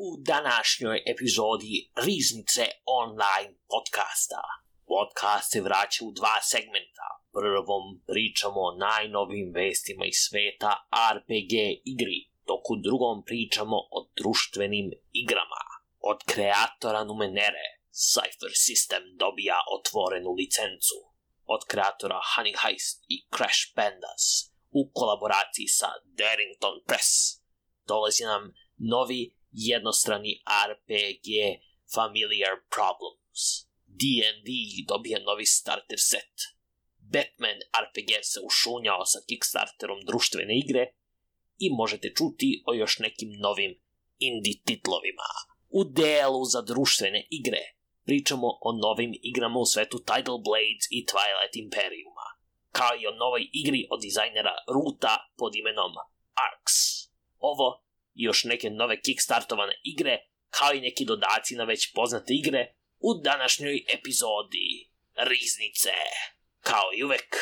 u današnjoj epizodi Riznice online podcasta. Podcast se vraća u dva segmenta. Prvom pričamo o najnovijim vestima iz sveta RPG igri, dok u drugom pričamo o društvenim igrama. Od kreatora Numenere, Cypher System dobija otvorenu licencu. Od kreatora Honey Heist i Crash Pandas, u kolaboraciji sa Darrington Press, dolazi nam novi jednostrani RPG Familiar Problems. D&D dobija novi starter set. Batman RPG se ušunjao sa Kickstarterom društvene igre i možete čuti o još nekim novim indie titlovima. U delu za društvene igre pričamo o novim igrama u svetu Tidal Blades i Twilight Imperiuma, kao i o novoj igri od dizajnera Ruta pod imenom Arcs. Ovo i još neke nove kickstartovane igre, kao i neki dodaci na već poznate igre, u današnjoj epizodi Riznice. Kao i uvek,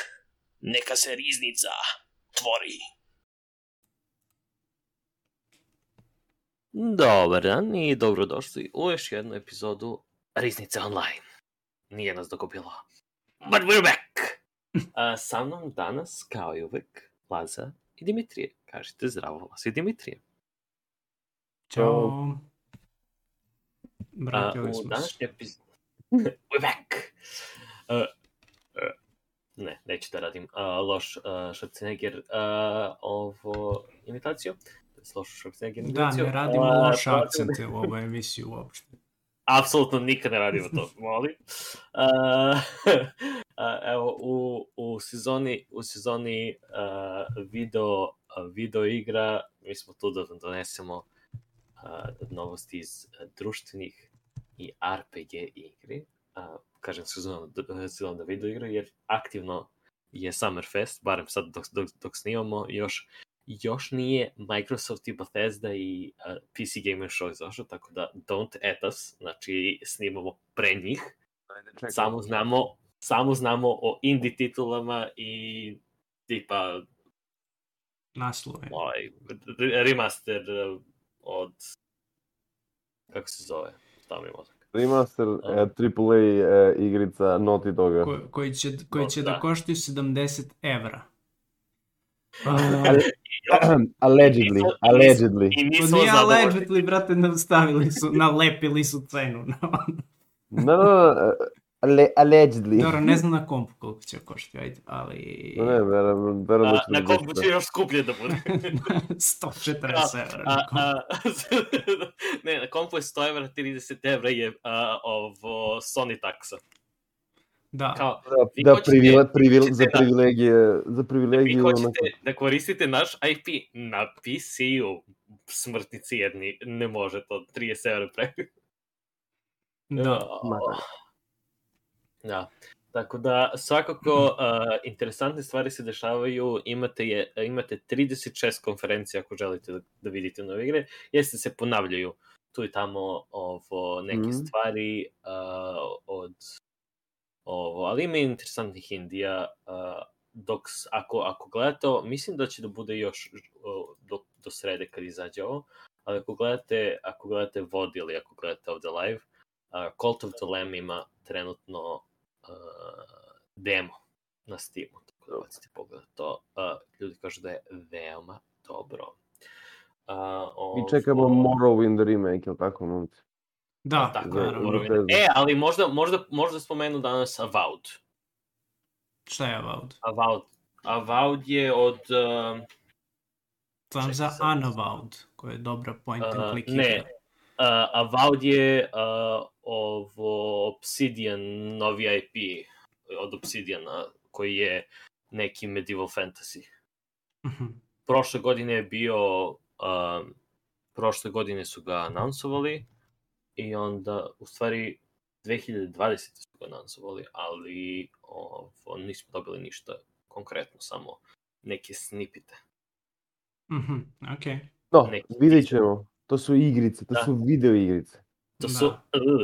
neka se riznica tvori. Dobar dan i dobrodošli u još jednu epizodu Riznice online. Nije nas dokupilo. But we're back! Sa mnom danas, kao i uvek, Laza i Dimitrije. Kažite zdravo, Laza i Dimitrije. Ćao. Vratili smo se. We're back! Ne, neću da radim loš Schwarzenegger ovo imitaciju. Loš Schwarzenegger imitaciju. Da, ne radimo loše akcente u ovoj emisiji uopšte. Apsolutno nikad ne radimo to, molim. Evo, u sezoni video igra, mi smo tu da donesemo novosti iz društvenih i RPG igri. Kažem sezon da video igre, jer aktivno je Summerfest, barem sad dok snimamo, još nije Microsoft i Bethesda i PC Gamer Show izašao, tako da don't at us, znači snimamo pre njih. Samo znamo o indie titulama i tipa naslove. Remaster od kako se zove? Tamo je mozak. Remaster AAA igrica Naughty Doga. Koji će da koštaju €70. Allegedly. Nije allegedly, brate, nalepili su cenu. No, allegedly. Dobro, ne znam na kompu koliko će koštiti, ajde, ali... Ne, verujem da će... Na kompu će još skuplje da bude. €140. Ne, na kompu je €100, €30 je ovo Sony taksa. Da. Kao, za privilegiju... hoćete da koristite naš IP na PC-u, smrtnici jedni, ne može to, €30 preko. Da, tako da svakako interesantne stvari se dešavaju, imate 36 konferencija ako želite da vidite nove igre, jeste se ponavljaju tu i tamo neke stvari ali ima interesantnih indija, dok ako gledate, mislim da će da bude još do srede kad izađe ovo, ali ako gledate VOD ili ako gledate ovde live, Cult of the Lamb ima trenutno demo na Steamu, tako da bacite pogled to. Ljudi kažu da je veoma dobro. I čekamo Morrowind remake, ili tako, momci? Da, tako, naravno. Ali možda spomenu danas Avowed. Šta je Avowed? Avowed je od... Znam za Unavowed, koja je dobra point and click igra. Ne, Avowed je Obsidian, novi IP od Obsidiana, koji je neki medieval fantasy. Prošle godine je bio... Prošle godine su ga anonsovali i onda, u stvari, 2020. su ga anonsovali, ali nismo dobili ništa konkretno, samo neke snipite. Okej. No, vidjet ćemo. To su igrice, to su video igrice. To su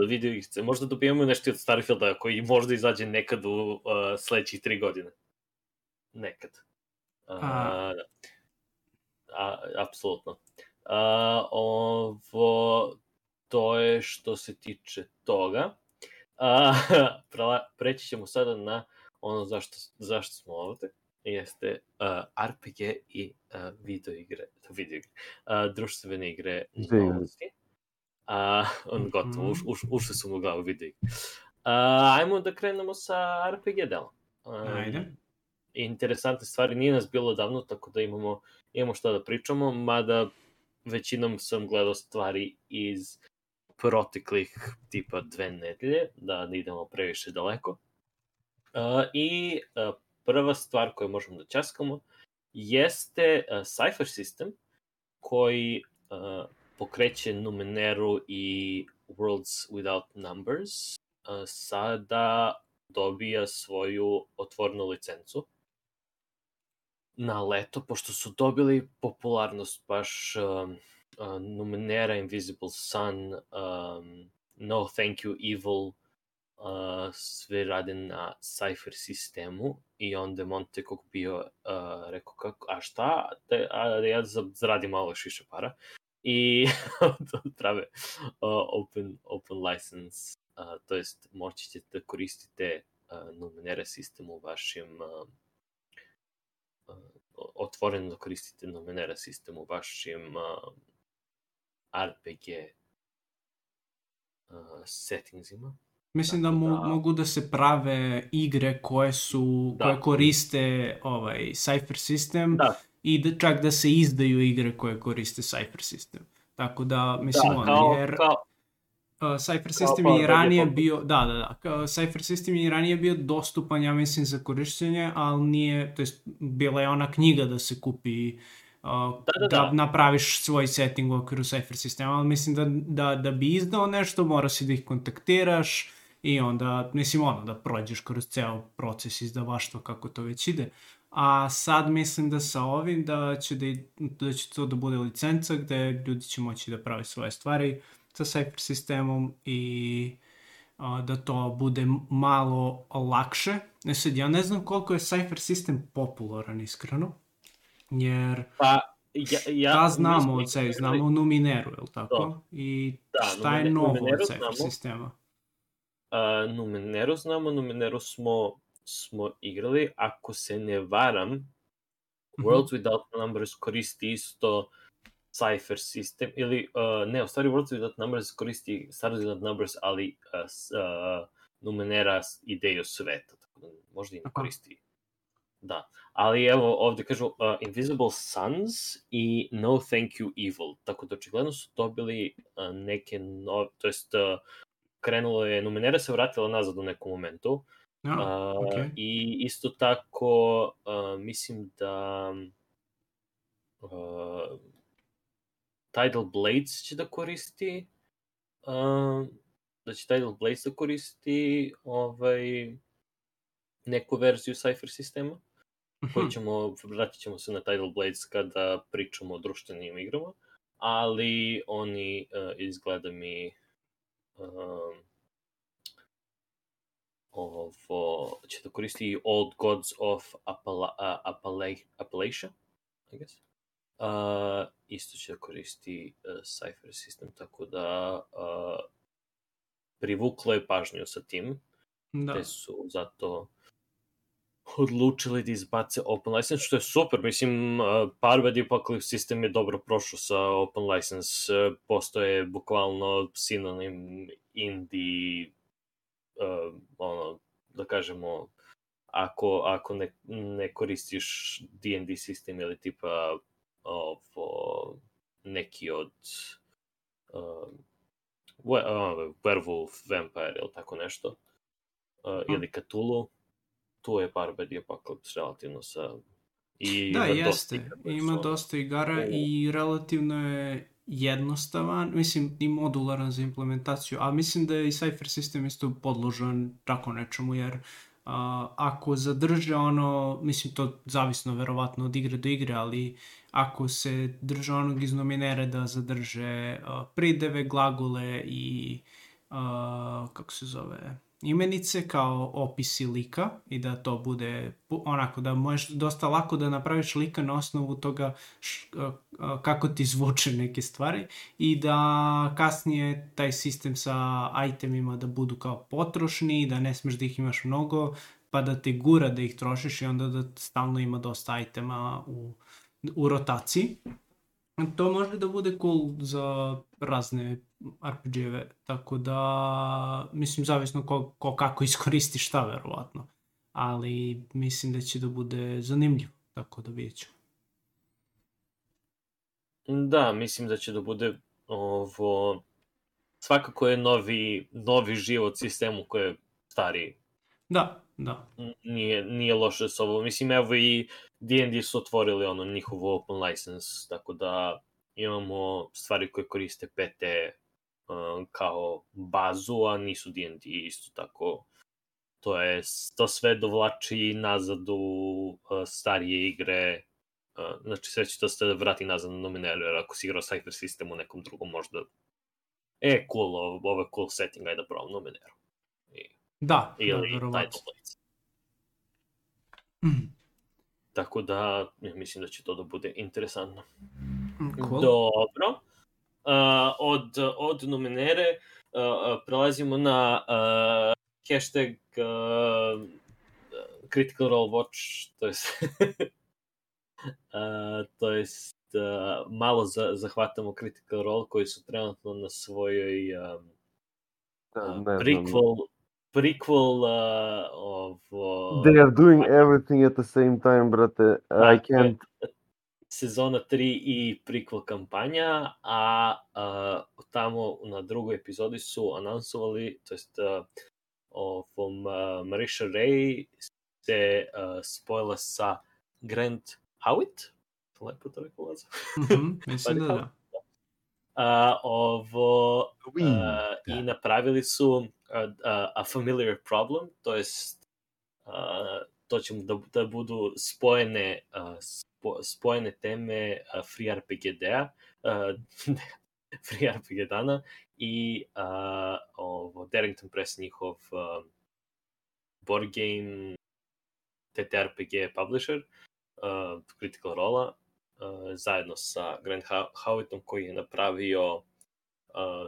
video igrice. Možda dobijemo nešto od Starfielda koji možda izađe nekad u sledećih 3 godine. Nekad. Apsolutno. to je što se tiče toga. Preći ćemo sada na ono zašto smo ovde, jeste RPG i videoigre, društvene igre novosti. Gotovo, ušli su mu u glavu videoigre. Ajmo da krenemo sa RPG delom. Ajde. Interesantne stvari, nije nas bilo davno, tako da imamo šta da pričamo, mada većinom sam gledao stvari iz proteklih tipa 2 nedelje, da ne idemo previše daleko. I prva stvar koju možemo da ćaskamo jeste Cypher System, koji pokreće Numeneru i Worlds Without Numbers. Sada dobija svoju otvorenu licencu na leto, pošto su dobili popularnost baš Numenera, Invisible Sun, No Thank You Evil, sve rade na Cypher sistemu i onda je Montekog bio rekao kako, a šta, da ja zaradim malo još više para i prave open license, to jest moći ćete da koristite Numenera sistem u vašim otvoreno da koristite Numenera sistem u vašim RPG settingsima. Mislim da mogu da se prave igre koje koriste Cypher sistem i čak da se izdaju igre koje koriste Cypher sistem. Tako da, mislim, Cypher sistem je ranije bio, Cypher sistem je ranije bio dostupan, ja mislim, za korištenje, ali nije, to jest bila je ona knjiga da se kupi da napraviš svoj setting u okviru Cypher sistema, ali mislim da bi izdao nešto, mora si da ih kontaktiraš i onda, mislim, da prođeš kroz ceo proces izdavaštva kako to već ide. A sad mislim da sa ovim da će to da bude licenca gde ljudi će moći da prave svoje stvari sa Cypher sistemom i da to bude malo lakše. Sad, ja ne znam koliko je Cypher sistem popularan, iskreno, jer da znamo od sebi, znamo Numeneru, je li tako? I šta je novo od Cypher sistema? Numeneru smo igrali, ako se ne varam, Worlds Without Numbers koristi isto Cypher sistem, ili, u stvari Worlds Without Numbers koristi Stars Without Numbers, ali Numenera ideju sveta, tako da možda i ne koristi. Da, ali evo ovde kažu Invisible Suns i No Thank You Evil, tako da očigledno su dobili neke nove, to jest krenulo je, Numenera se vratila nazad u nekom momentu. I isto tako mislim da Tidal Blades će da koristi neku verziju Cypher sistema, vratit ćemo se na Tidal Blades kada pričamo o društvenim igrama, ali oni izgleda mi će da koristi Old Gods of Appalachia, I guess. Isto će da koristi Cypher sistem, tako da privuklo je pažnju sa tim, te su zato odlučili da izbace open license, što je super. Mislim, Parved Apocalypse sistem je dobro prošao sa open license, postoje bukvalno sinonim indie, da kažemo, ako ne koristiš D&D sistem ili tipa neki od Werewolf, Vampire ili tako nešto, ili Cthulhu, tu je Parved Apocalypse relativno sa... Ima dosta igara i relativno je jednostavan, mislim i modularan za implementaciju, ali mislim da je i Cypher sistem isto podložan tako nečemu, jer ako zadrže mislim to zavisno verovatno od igre do igre, ali ako se drže onog iz Numenera da zadrže prideve, glagole i kako se zove, imenice kao opisi lika i da to bude onako da možeš dosta lako da napraviš lika na osnovu toga kako ti zvuče neke stvari i da kasnije taj sistem sa itemima da budu kao potrošni, da ne smeš da ih imaš mnogo, pa da te gura da ih trošiš i onda da stalno ima dosta itema u rotaciji. To može da bude cool za razne RPG-eve, tako da, mislim, zavisno ko kako iskoristi šta, verovatno. Ali mislim da će da bude zanimljivo, tako da vidjet ću. Da, mislim da će da bude ovo... Svakako je novi život sistemu koji je stariji. Da. Nije loše s ovo. Mislim, evo i D&D su otvorili njihovu open license, tako da imamo stvari koje koriste PT kao bazu, a nisu D&D isto tako. To sve dovlači nazad u starije igre. Znači, sve će to se vrati nazad na Numenera, jer ako si igrao Cypher System u nekom drugom, možda cool, ovo je cool setting, ajde da probam Numeneru. Da, ili verovatno. Title Blades. Tako da, mislim da će to da bude interesantno. Cool. Dobro. Od Numenere prelazimo na hashtag Critical Role Watch, to jest malo zahvatamo Critical Role koji su trenutno na svojoj prequel They are doing everything at the same time, brate. I can't. Sezona 3 i prequel kampanja, a tamo na drugoj epizodi su anonsovali, to jest Marisha Ray se spojila sa Grant Howitt, lepo to rekao lazo. Mislim da. I napravili su A Familiar Problem, to jest to će da budu spojene teme Free RPG Free RPG dana i Darrington Press, njihov board game TTRPG publisher, Critical Role, zajedno sa Grant Howittom koji je napravio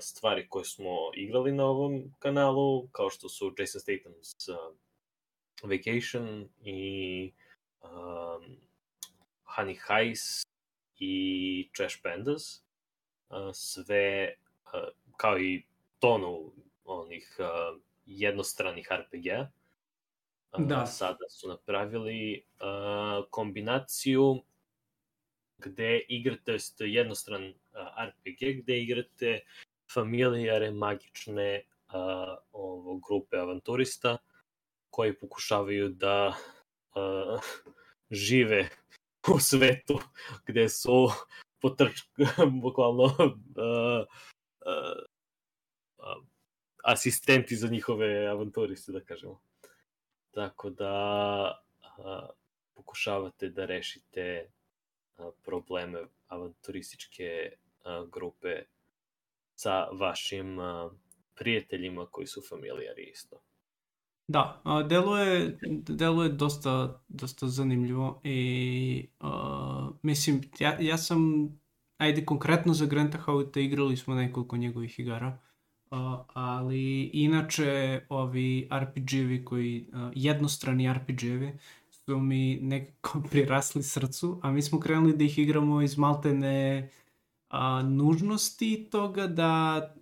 stvari koje smo igrali na ovom kanalu, kao što su Jason Statham's Vacation i Honey Heist i Trash Pandas. Sve, kao i tonu onih jednostranih RPG-a. Sada su napravili kombinaciju gde igrate, jednostran RPG, gde igrate familijare magične grupe avanturista koji pokušavaju da žive u svetu gde su bukvalno asistenti za njihove avanturiste, da kažemo. Tako da pokušavate da rešite probleme avanturističke grupe sa vašim prijateljima koji su familijari isto. Da, deluje dosta zanimljivo i mislim, ja sam, ajde konkretno za Granta Howitta igrali smo nekoliko njegovih igara, ali inače ovi RPG-evi koji, jednostrani RPG-evi su mi nekako prirasli srcu, a mi smo krenuli da ih igramo iz maltene nužnosti toga da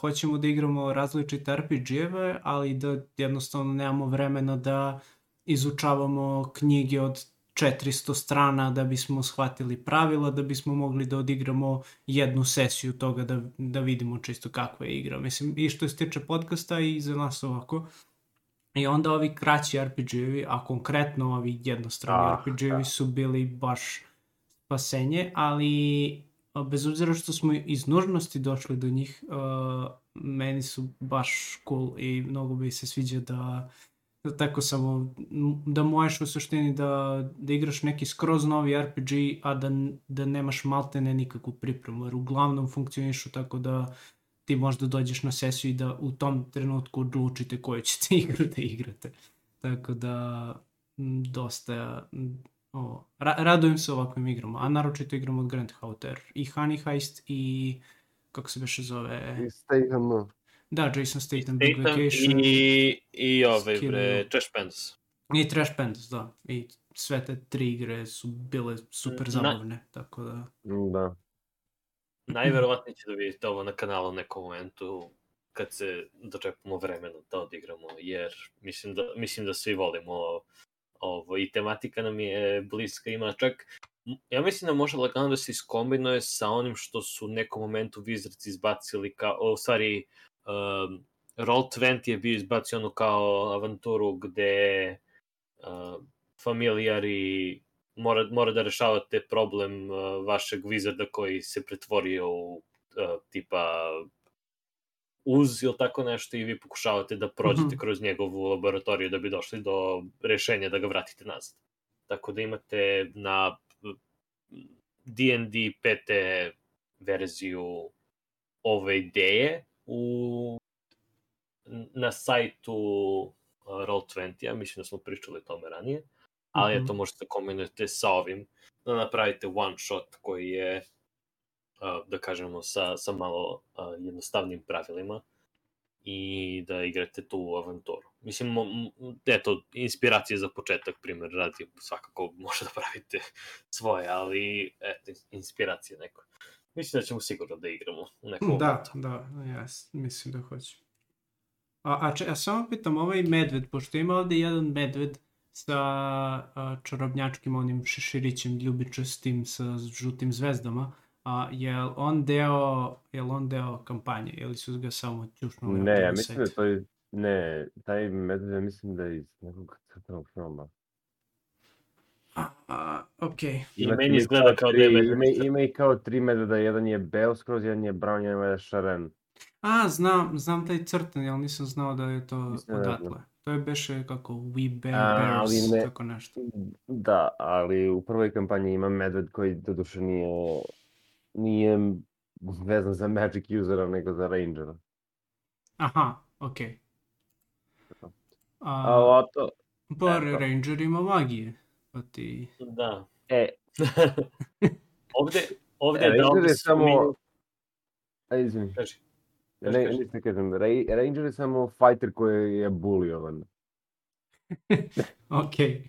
hoćemo da igramo različite RPG-eve, ali da jednostavno nemamo vremena da izučavamo knjige od 400 strana da bismo shvatili pravila, da bismo mogli da odigramo jednu sesiju toga da vidimo čisto kakva je igra. Mislim, i što se tiče podcasta i za nas ovako. I onda ovi kraći RPG-evi, a konkretno ovi jednostrani RPG-evi su bili baš spasenje, ali bez obzira što smo iz nužnosti došli do njih, meni su baš cool i mnogo bi se sviđa da tako samo, da možeš u suštini da igraš neki skroz novi RPG, a da nemaš maltene nikakvu pripremu, jer uglavnom funkcionišu tako da ti možda dođeš na sesiju i da u tom trenutku odlučite koju ćete igru da igrate. Tako da dosta radujem se ovakvim igrama, a naročito igram od Grand Hauter i Honey Heist i kako se beše zove? I Statham. Da, Jason Statham, Big Vacation. I ove, Trash Pandas. I Trash Pandas, da. I sve te 3 igre su bile super zabavne, tako da... Da. Najverovatnije će da vidite ovo na kanalu u nekom momentu kad se dočepamo vremena da odigramo, jer mislim da svi volimo ovo i tematika nam je bliska, ima čak, ja mislim da može lagano da se iskombinuje sa onim što su u nekom momentu Wizards izbacili u stvari Roll20 je bio izbacio ono kao avanturu gde familijari mora da rešavate problem vašeg Wizarda koji se pretvorio u tipa uz ili tako nešto i vi pokušavate da prođete kroz njegovu laboratoriju da bi došli do rešenja da ga vratite nazad. Tako da imate na D&D PT verziju ove ideje na sajtu Roll20, ja mislim da smo pričali o tome ranije, ali to možete kombinujete sa ovim, da napravite one shot koji je, da kažemo, sa malo jednostavnim pravilima i da igrate tu avanturu. Mislim, eto, inspiracije za početak, primjer radi, svakako može da pravite svoje, ali eto, inspiracije neko. Mislim da ćemo sigurno da igramo u nekom momentu. Da, ja mislim da hoću. A samo pitam, ovaj medved, pošto ima ovdje jedan medved sa čarobnjačkim onim šeširićem ljubičastim sa žutim zvezdama, je on deo kampanje ili su ga samo ćušnuli? Ne, ja mislim da to je... Ne, taj medved ja mislim da je iz nekog crtanog filma. Okej. I meni izgleda kao da je medved. Ima i kao 3 medveda, jedan je beo skroz, jedan je brown, jedan je šaren. Znam taj crtan, ali nisam znao da je to odatle. To je beše kako We Bears, tako nešto. Da, ali u prvoj kampanji ima medved koji doduše nije vezan za Magic usera, nego za Rangera. Aha, okej. Pa Ranger ima magije, pa ti... Da. Ovde je Ranger je samo... Izvini. Ne kažem, Ranger je samo fighter koji je buliovan. Okej.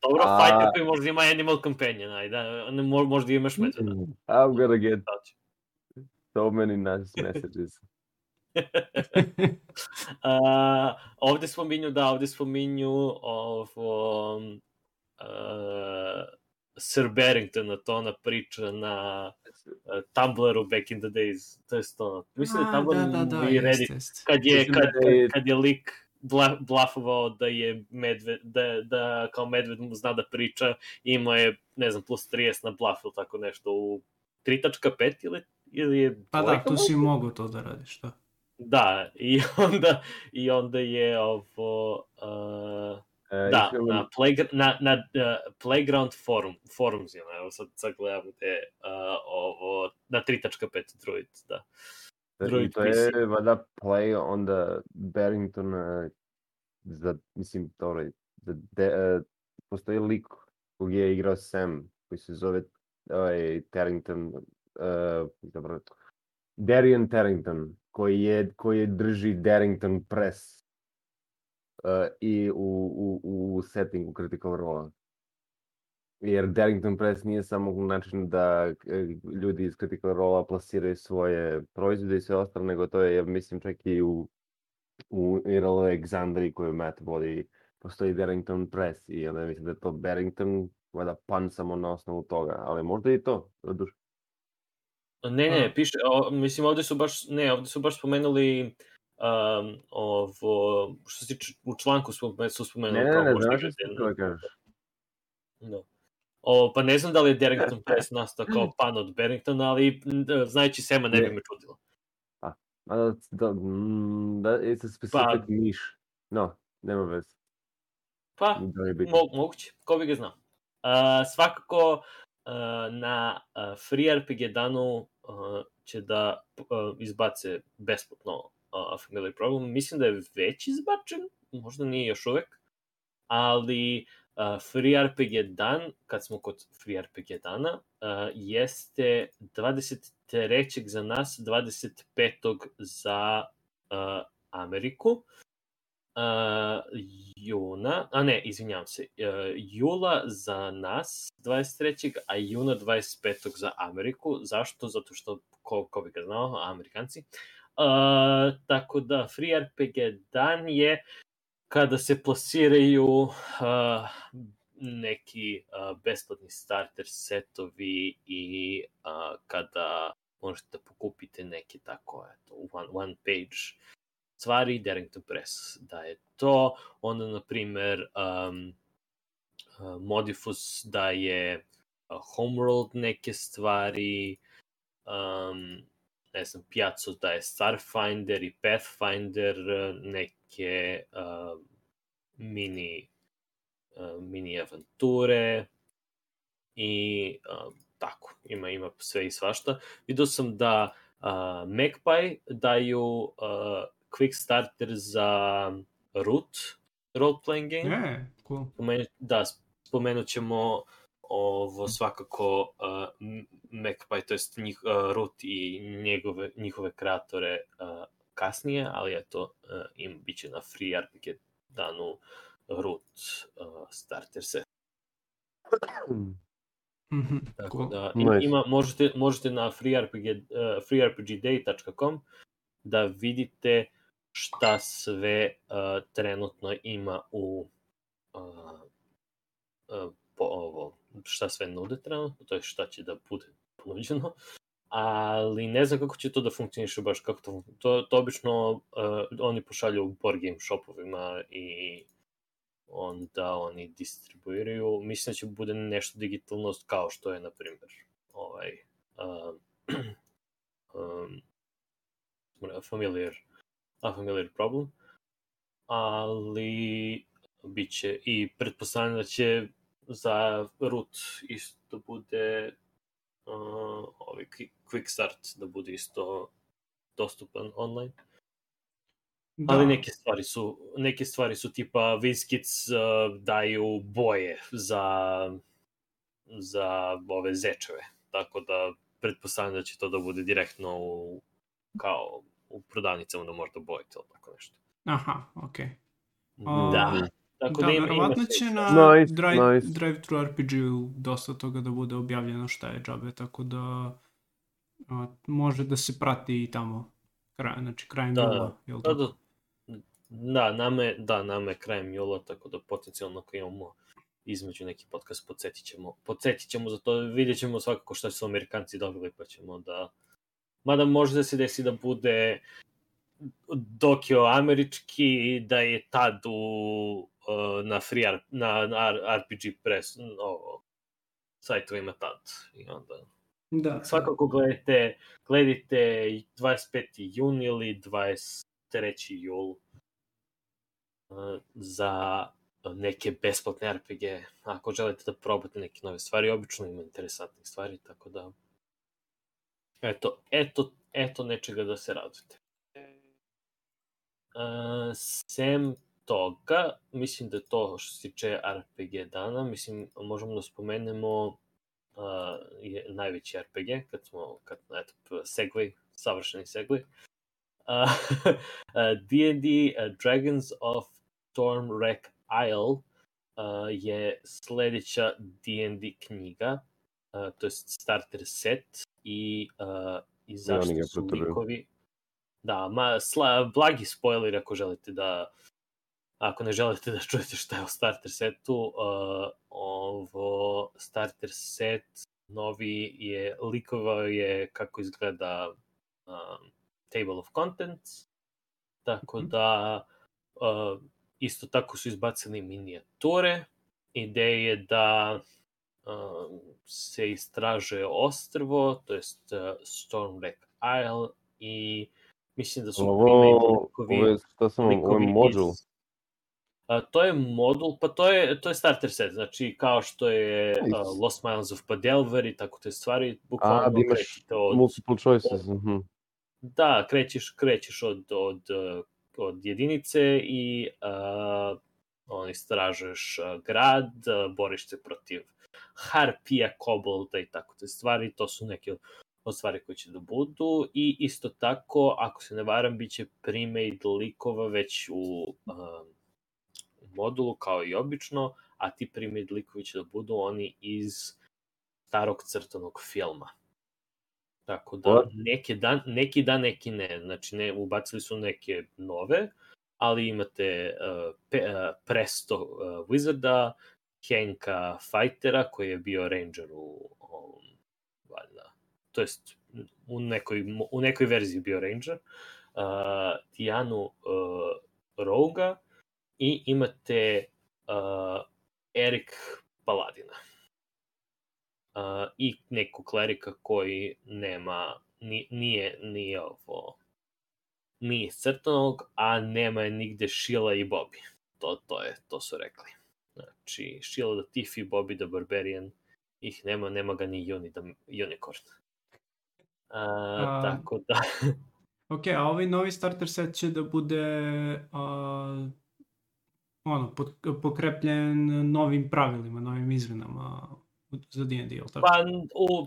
Dobro, fighter koji možda ima Animal Companion, možda imaš medveda. I'm gonna get so many nice messages. Ovde spominju Sir Barringtona, to ona priča na Tumblru back in the days, to je to. Mislim da je Tumblr i Reddit, kad je lik blafovao da je medved, da kao medved mu zna da priča, imao je, ne znam, plus 30 na blaf ili tako nešto u 3.5 ili je... Pa da, tu si mogu to da radiš, da. Da, i onda je ovo... na Playground forumsima, evo sad gledam te ovo, na 3.5 Druid, da. I to je vada play onda Barrington, mislim, postoji lik koji je igrao Sam, koji se zove Tarrington, Darian Tarrington, koji drži Darrington Press i u settingu Critical Role. Jer Darrington Press nije samo način da ljudi iz Critical Role plasiraju svoje proizvode i sve ostalo, nego to je, mislim, čak i u IRL Alexandriji koju Matt vodi, postoji Darrington Press i onda mislim da je to Barrington, vada pan samo na osnovu toga, ali možda i to, doduše. Ne, piše, mislim, ovde su baš spomenuli ovo, što se tiče, u članku su spomenuli. Ne, znaš što da kažeš. Da. Pa ne znam da li je Darrington Press nastao kao pan od Barringtona, ali znajući Sema ne bi me čudilo. It's a specific niche. No, nema veze. Pa, moguće, ko bi ga znao. Svakako, na Free RPG danu će da izbace besplatno A Familiar Problem. Mislim da je već izbačen, možda nije još uvek, ali Free RPG dan, kad smo kod Free RPG dana, jeste 23. za nas, 25. za Ameriku. Jula za nas 23. a juna 25. za Ameriku. Zašto? Zato što, ko bi ga znao, Amerikanci. Tako da Free RPG dan je kada se plasiraju neki besplatni starter setovi i kada možete da pokupite neke tako one page stvari. Darrington Press daje to. Onda, na primer, Modifus daje Homeworld neke stvari, ne znam, Piazza daje Starfinder i Pathfinder neke mini avanture i tako, ima sve i svašta. Vidio sam da Magpie daju quick starter za Root role-playing game. Cool. Da, spomenut ćemo ovo svakako Magpie, to jest Root i njihove kreatore kasnije, ali eto, bit će na Free RPG danu Root starter set. Tako da, možete na freerpgday.com da vidite šta sve trenutno ima šta sve nude trenutno, to je šta će da bude ponuđeno, ali ne znam kako će to da funkcioniše baš, kako to obično oni pošalju u board game shopovima i onda oni distribuiraju. Mislim da će bude nešto digitalno kao što je, na primjer, A Familiar Problem, ali biće i pretpostavljam da će za Root isto bude Quick Start da bude isto dostupan online. Da. Ali neke stvari su tipa WizKids daju boje za ove zečeve, tako da pretpostavljam da će to da bude direktno kao u prodavnicama da možda bojite ili tako nešto. Aha, okej. Da. Tako da verovatno će na Drive-Thru RPG-u dosta toga da bude objavljeno šta je džabe, tako da može da se prati i tamo krajem jula. Nama je krajem jula, tako da potencijalno ako imamo između neki podcast podsjetit ćemo za to, vidjet ćemo svakako šta su Amerikanci dobili, pa ćemo da... Mada može da se desi da bude dok je američki, da je tad na RPG Press sajtovima tad. I onda... Da. Svakako gledajte 25. jun ili 23. jul za neke besplatne RPG. Ako želite da probate neke nove stvari, obično ima interesantnih stvari, tako da eto nečega da se radite. Sem toga, mislim da je to što se tiče RPG dana. Mislim, možemo da spomenemo najveći RPG, savršeni segway. D&D Dragons of Stormwreck Isle je sledeća D&D knjiga, to je starter set i zašto su likovi... Da, blagi spoiler ako ne želite da čujete šta je u starter setu. Ovo starter set novi je, likovao je kako izgleda Table of Contents, tako da isto tako su izbacili minijature. Ideja je da se istražuje ostrvo, to jest Stormwreck Isle, i mislim da su ovo je modul. To je modul, pa to je starter set, znači kao što je Lost Miles of Padelver i tako te stvari, bukvalno krećete od... multiple choices. Da, krećeš od jedinice i istražuješ grad, boriš se protiv harpija, kobolda i tako te stvari, to su neke od stvari koje će da budu i isto tako, ako se ne varam, bit će pre-made likova već u modulu kao i obično, a ti pre-made likovi će da budu oni iz starog crtanog filma. Tako da, neki da, neki ne. Znači, ubacili su neke nove, ali imate Presto Wizarda, Henka Fightera, koji je bio Ranger valjda, to jest u nekoj verziji bio Ranger, Tijanu Roga i imate Erik Paladina. I neku klerika koji nema, nije crtanog, a nema je nigde Sheila i Bobby. To su rekli. Znači, Sheila the Thief i Bobby the Barbarian, ih nema ga ni Unicorn. Tako da... Ok, a ovaj novi starter set će da bude pokrepljen novim pravilima, novim izmenama za D&D, ili tako?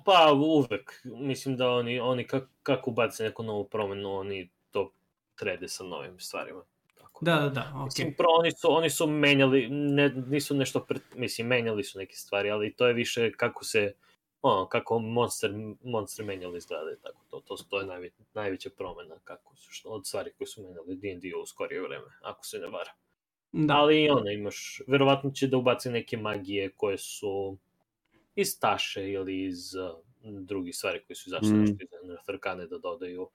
Pa uvek. Mislim da oni kako ubace neku novu promenu, oni to trede sa novim stvarima. Tako da, ok. Mislim, oni su menjali, nisu nešto, menjali su neke stvari, ali to je više kako monster menjali izgleda, tako to je najveća promena od stvari koje su menjali D&D u skorije vreme, ako se ne vara. Da. Ali imaš, verovatno će da ubaci neke magije koje su iz Taše ili iz drugih stvari koje su izašle nešto iz Netherkane da dodaju.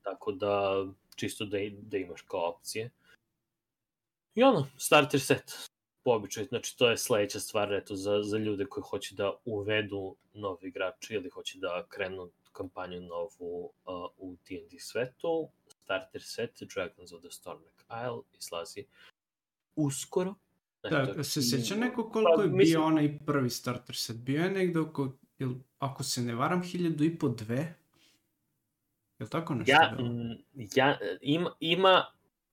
Tako da, čisto da imaš kao opcije. I starter set, po običaju. Znači, to je sledeća stvar, eto, za ljude koji hoće da uvedu novi igrači ili hoće da krenu kampanju novu u D&D svetu. Starter set, Dragons of the Stormwreck Isle, izlazi uskoro. Da, se sjeća neko koliko je bio onaj prvi starter set? Bio je negde oko, ako se ne varam, 1,5-2? Je li tako nešto bilo?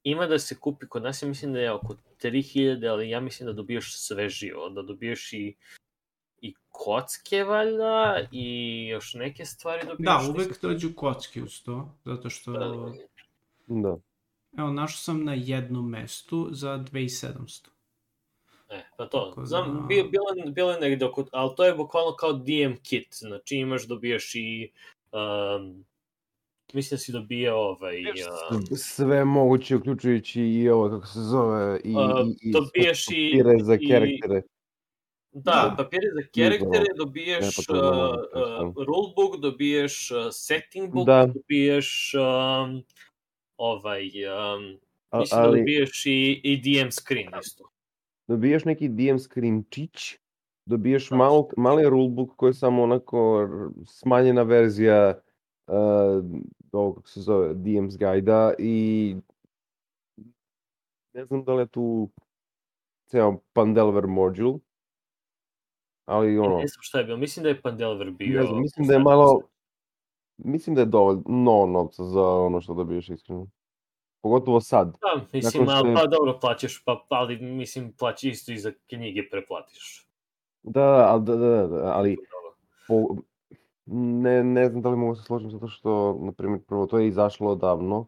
Ima da se kupi kod nas, ja mislim da je oko 3.000, ali ja mislim da dobiješ sve živo, da dobiješ i kocke, valjda, i još neke stvari dobiješ. Da, uvek dođu kocke uz to, zato što... Da. Evo, našao sam na jednom mestu za 2.700. Pa to, znam, bilo je negde oko, ali to je bukvalno kao DM kit, znači dobiješ i, mislim da si dobijao sve moguće, uključujući i ovo, kako se zove, i papire za karaktere. Da, papire za karaktere, dobiješ rulebook, dobiješ setting book, dobiješ mislim da dobiješ i DM screen isto. Dobiješ neki DM screenčić, dobiješ mali rulebook koji je samo onako smanjena verzija ovog, kako se zove, DM's guide-a i ne znam da li je tu ceo Pandelver module, ali Ne znam šta je bilo, mislim da je Pandelver bio... Ne znam, mislim da je malo... Mislim da je dovoljno novca za ono što dobiješ iskreno. Pogotovo sad. Da, mislim, pa dobro plaćaš, ali mislim plaćaš isto i za knjige preplatiš. Da, ali ne znam da li mogu se složiti zato što, na primjer, prvo to je izašlo odavno.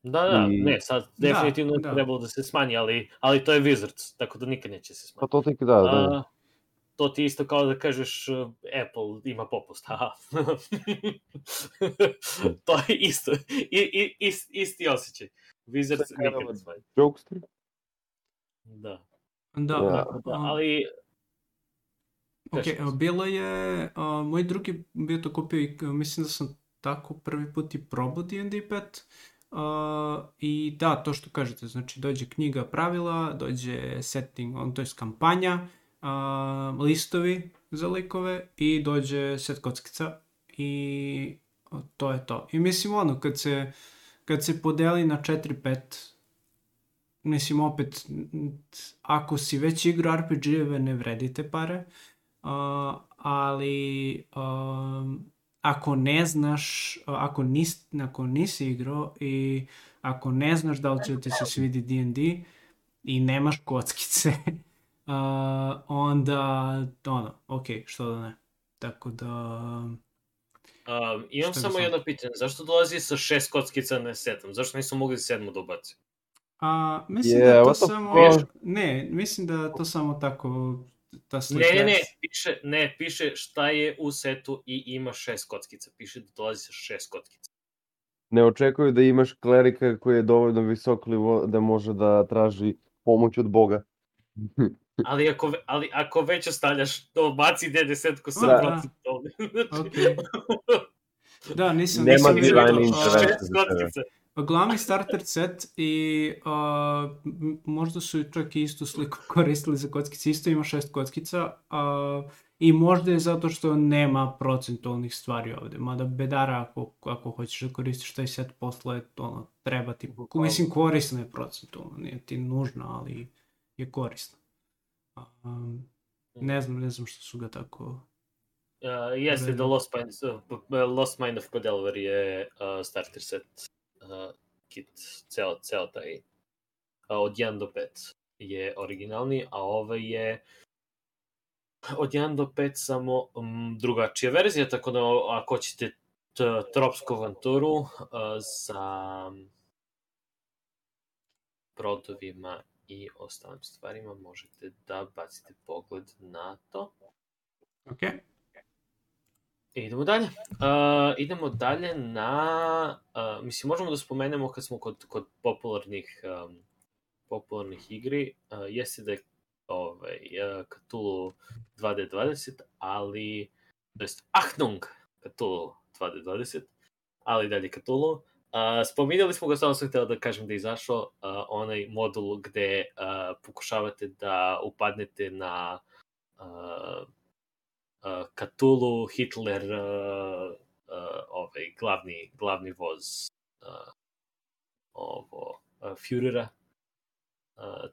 Da, ne, sad definitivno je trebalo da se smanji, ali to je Wizards, tako da nikad neće se smanjiti. Pa to tek da. To ti isto kao da kažeš Apple ima popust, haha. To je isto, isti osjećaj. Wizards nikad ne smanji. Jokester? Da, ali... Ok, bilo je, moj drugi bio to kupio i mislim da sam tako prvi put i probao D&D 5. I da, to što kažete, znači dođe knjiga pravila, dođe setting, to je kampanja, listovi za likove i dođe set kockica i to je to. I mislim kad se podeli na 4-5 mislim, opet, ako si već igrao RPG-eve, ne vredite pare, ali ako ne znaš, ako nisi igrao i ako ne znaš da li će ti se svidi D&D i nemaš kockice, onda, ok, što da ne. Tako da... imam samo jedno pitanje, zašto dolazi sa 6 kockica na 7? Zašto nisu mogli 7 da ubaci? Mislim da to samo... Ne, mislim da to samo tako... Piše šta je u setu i ima 6 kockica. Piše da dolazi sa 6 kockica. Ne očekuju da imaš klerika koji je dovoljno visok nivo da može da traži pomoć od Boga. Ali ako već ostavljaš, to baci D10 sa protiv toga. Da, nisam divine intervencije. Glavni starter set i možda su čak i istu sliku koristili za kockice. Isto ima 6 kockica i možda je zato što nema procentualnih stvari ovde. Mada bedara ako hoćeš da koristiš taj set posle, treba ti... Mislim, korisno je procentualno, nije ti nužno, ali je korisno. Ne znam što su ga tako... Jeste da Lost Mine of Padelver je starter set kit, ceo taj od 1 do 5 je originalni, a ovaj je od 1 do 5 samo drugačija verzija, tako da ako hoćete tropsku avanturu sa brodovima i ostalim stvarima, možete da bacite pogled na to. Ok. Idemo dalje na... mislim, možemo da spomenemo kad smo kod popularnih igri, jeste da je Cthulhu 2D20, ali... To jest Achtung Cthulhu 2D20, ali dalje Cthulhu. Spominjali smo ga, samo sam htjela da kažem da je izašao onaj modul gde pokušavate da upadnete na Cthulhu, Hitler, glavni voz Führera.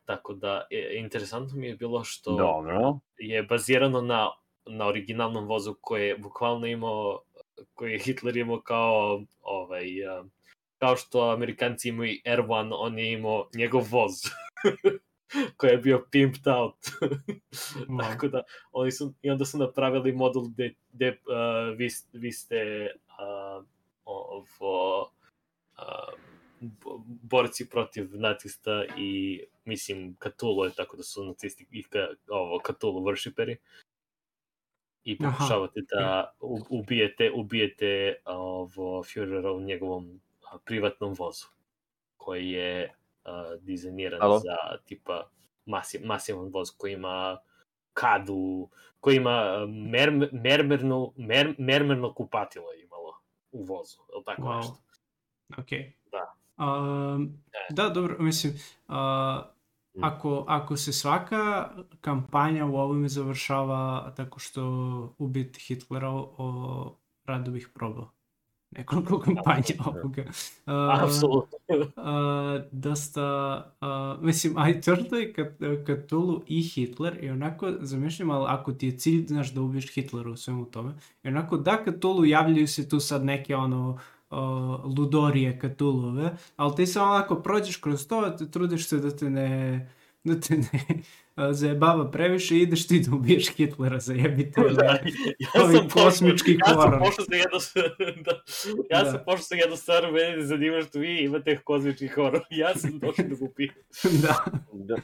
Tako da, interesantno mi je bilo što je bazirano na originalnom vozu koji je bukvalno imao, koji je Hitler imao kao kao što Amerikanci imaju Air-1, on je imao njegov voz koji je bio pimped out. Tako da, i onda su napravili modul gde vi ste borci protiv nacista i, mislim, Cthulhu je, tako da su nacisti i Cthulhu worshiperi. I pokušavate da ubijete Führera u njegovom privatnom vozu, koji je dizajniran za tipa masivan voz koji ima kadu, koji ima mermerno kupatilo je imalo u vozu, ili tako nešto. Ok. Da, dobro, mislim, ako se svaka kampanja u ovome završava tako što ubiti Hitlera, rado bih probao nekoliko kampanja ovoga. Apsolutno. Dosta, mislim, aj to je Cthulhu i Hitler i onako zamišljam, ali ako ti je cilj, znaš, da ubiješ Hitlera u svemu tome, i onako da Cthulhu javljaju se tu sad neke ludorije Cthulhuve, ali ti se onako prođeš kroz to, trudiš se da te ne zajebava previše i ideš ti da ubiješ Hitlera, zajebite ovi kosmički horor. Ja sam pošao sa jednu stvar, mene ne zanima što vi imate kosmički horor. Ja sam došao da ga ubijem. Da.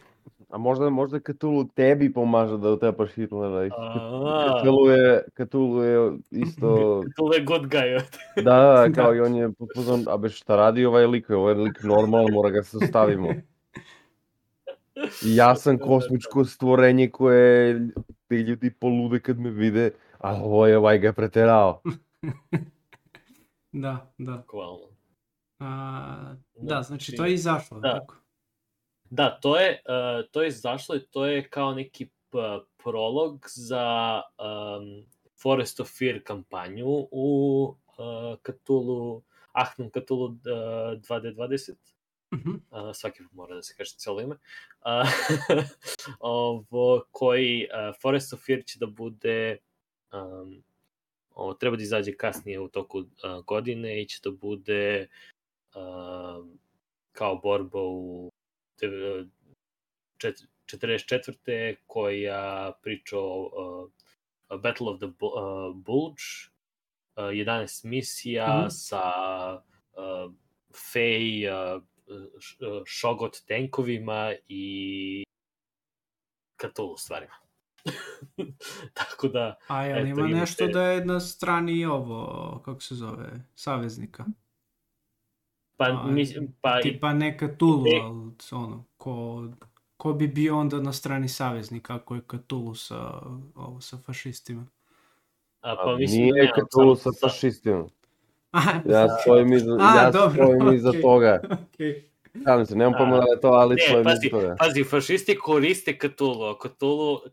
A možda Cthulhu tebi pomaže da utepaš Hitlera. Cthulhu je isto... Cthulhu je good guy. Da, kao i on je potpuno... A bez šta radi ovaj lik normalno, mora ga se ostavimo. Ja sam kosmičko stvorenje koje ti ljudi polude kad me vide, a ovaj ga je preterao. Da. Hvala. Da, znači to je izašlo, tako? Da, to je izašlo i to je kao neki prolog za Forest of Fear kampanju u Cthulhu, Achtung Cthulhu 2D20. svaki put mora da se kaže cijelo ime, koji Forest of Fear će da bude, treba da izađe kasnije u toku godine i će da bude kao borba u 44. koja priča o Battle of the Bulge, 11 misija sa Fey, Shogot tankovima i Cthulhu stvarima. Tako da... A jel ima nešto da je na strani ovo, kako se zove, saveznika? Tipa ne Cthulhu, ali ono, ko bi bio onda na strani saveznika ako je Cthulhu sa fašistima? Nije Cthulhu sa fašistima. Ja stojim iza toga. Šalim se, nemam pojma da je to, ali stojim iza toga. Pazi, fašisti koriste Cthulhu.